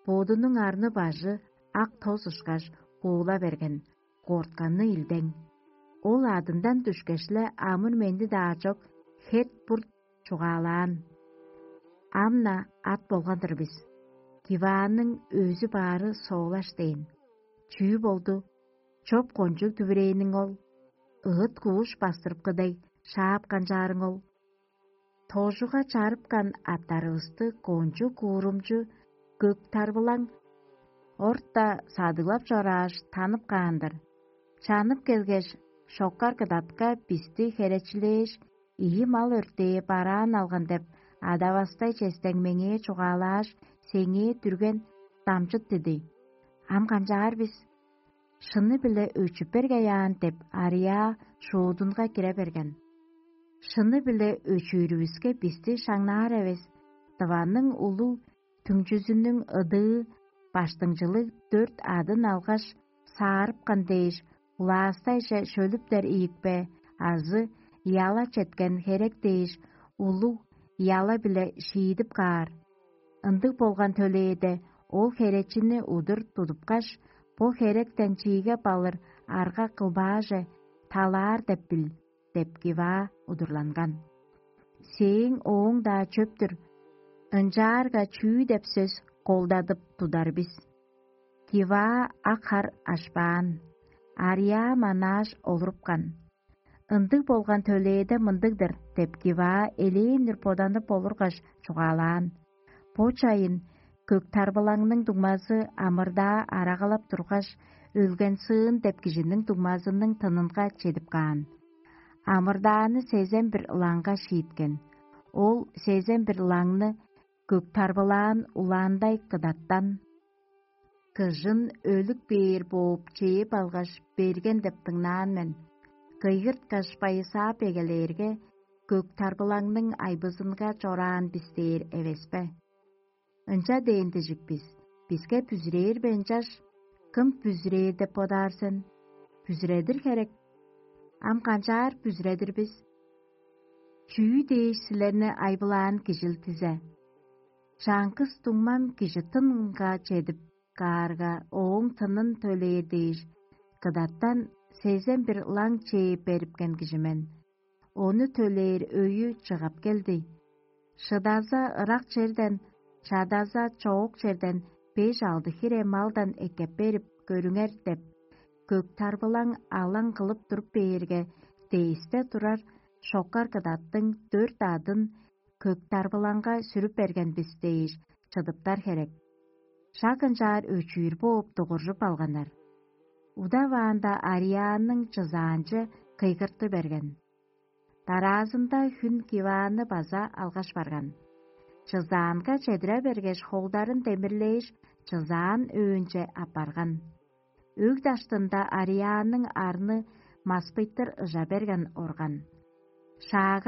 Бодунуң арны-бажы ак тос ышкаш куула берген, кортканы илдең. Ол адындан дүшкеш-ле, амыр-менди-даа чок, херт-бурт чугаалаан. Ам-на ат болган-дыр бис. Кивааның өзү баары соолаш дээн. Чүү болду? Чоп кончуг дүвүрээниң ол? Ыыт кууш бастырыпкы дег, шаап канчаарың ол? Тожуга чарыпкан аттарывысты кончуг куурумчу көк тарбылаң орта садыглап чорааш, танып каан-дыр. Чанып келгеш, шоккар кыдатка бисти херечилээш, ийи мал өртээ бараан алган деп, адавастай честең меңээ чугаалааш, сеңээ дүрген дамчыт диди. Ам канчаар бис? Шыны-биле өчүп бергей аан деп, Ария шуудунга кире берген. Шыны-биле өчүүрүвүске бисти шаңнаар эвес, дыванның улуг түңчүзүнүң ыдыы баштыңчылыг дөрт адын алгаш, саарыпкан дээш, улаастайже шөлүптер ийикпе азы яла четкен херек дээш, улуг яла-биле шиидип каар. Ындыг болган төлээде ол херечини удур тудупкаш, бо херектен чииге балыр арга кылбааже, талаар деп бил» — деп Киваа удурланган. Сээң ооң-даа чөптүр, ынчаарга чүү деп сөс колдадып тудар бис? Киваа ак хар ашпаан, арьяа манааш олурупкан. Ындыг болган төлээде мындыг-дыр деп Киваа элээн-дир боданып олургаш чугаалаан. Бо чайын көк тарбылаңның дуңмазы амырдаа арагалап тургаш, өлген сыын деп кижиниң дуңмазының тынынга чедип каан. Амырдааны сезен бир ылаңга шииткен. Ол сезен бир ылаңны көк тарбылаан улаандай кыдаттан: «Кыжын өлүк бээр бооп чээп алгаш берген деп дыңнаан мен. Кыйгырткаш байысаап эгелээрге, көк тарбылаңның айбызынга чораан бис дээр эвеспе? Ынча дээн дижик бис: биске бүзүрээр бе ынчаш? Кым бүзүрээр деп бодаар сен? Бүзүредир херек. Ам канчаар бүзүредир бис? Чүү дээш силерни айбылаан кижил дизе? Чаңгыс дуңмам кижи тынынга чедип каарга, ооң тынын төлээр дээш, кыдаттан сезен бир ылаң чээп берипкен кижи мен. Ону төлээр өйү чыгып келди. Шыдаза ырак черден, чадаза чоок черден беш-алды хире малдан эккеп берип көрүңер» — деп, көк тарбылаң алаң кылып туруп бээрге, дээсте турар шокар кыдаттың дөрт адын көк тарбылаңга сүрүп берген бис дээш чыдыптар херек. Шак ынчаар өчүүр бооп дугуржуп алганнар. Удаваанда Арианның чызаанчы кыйгырты берген. Дараазында хүн Кивааны база алгаш барган. Чызаанга чедире бергеш, холдарын демирлээш, чызаан өөнче аппарган. Өг даштында Арианның арны маспыйтыр ыжа берген орган. Шаагы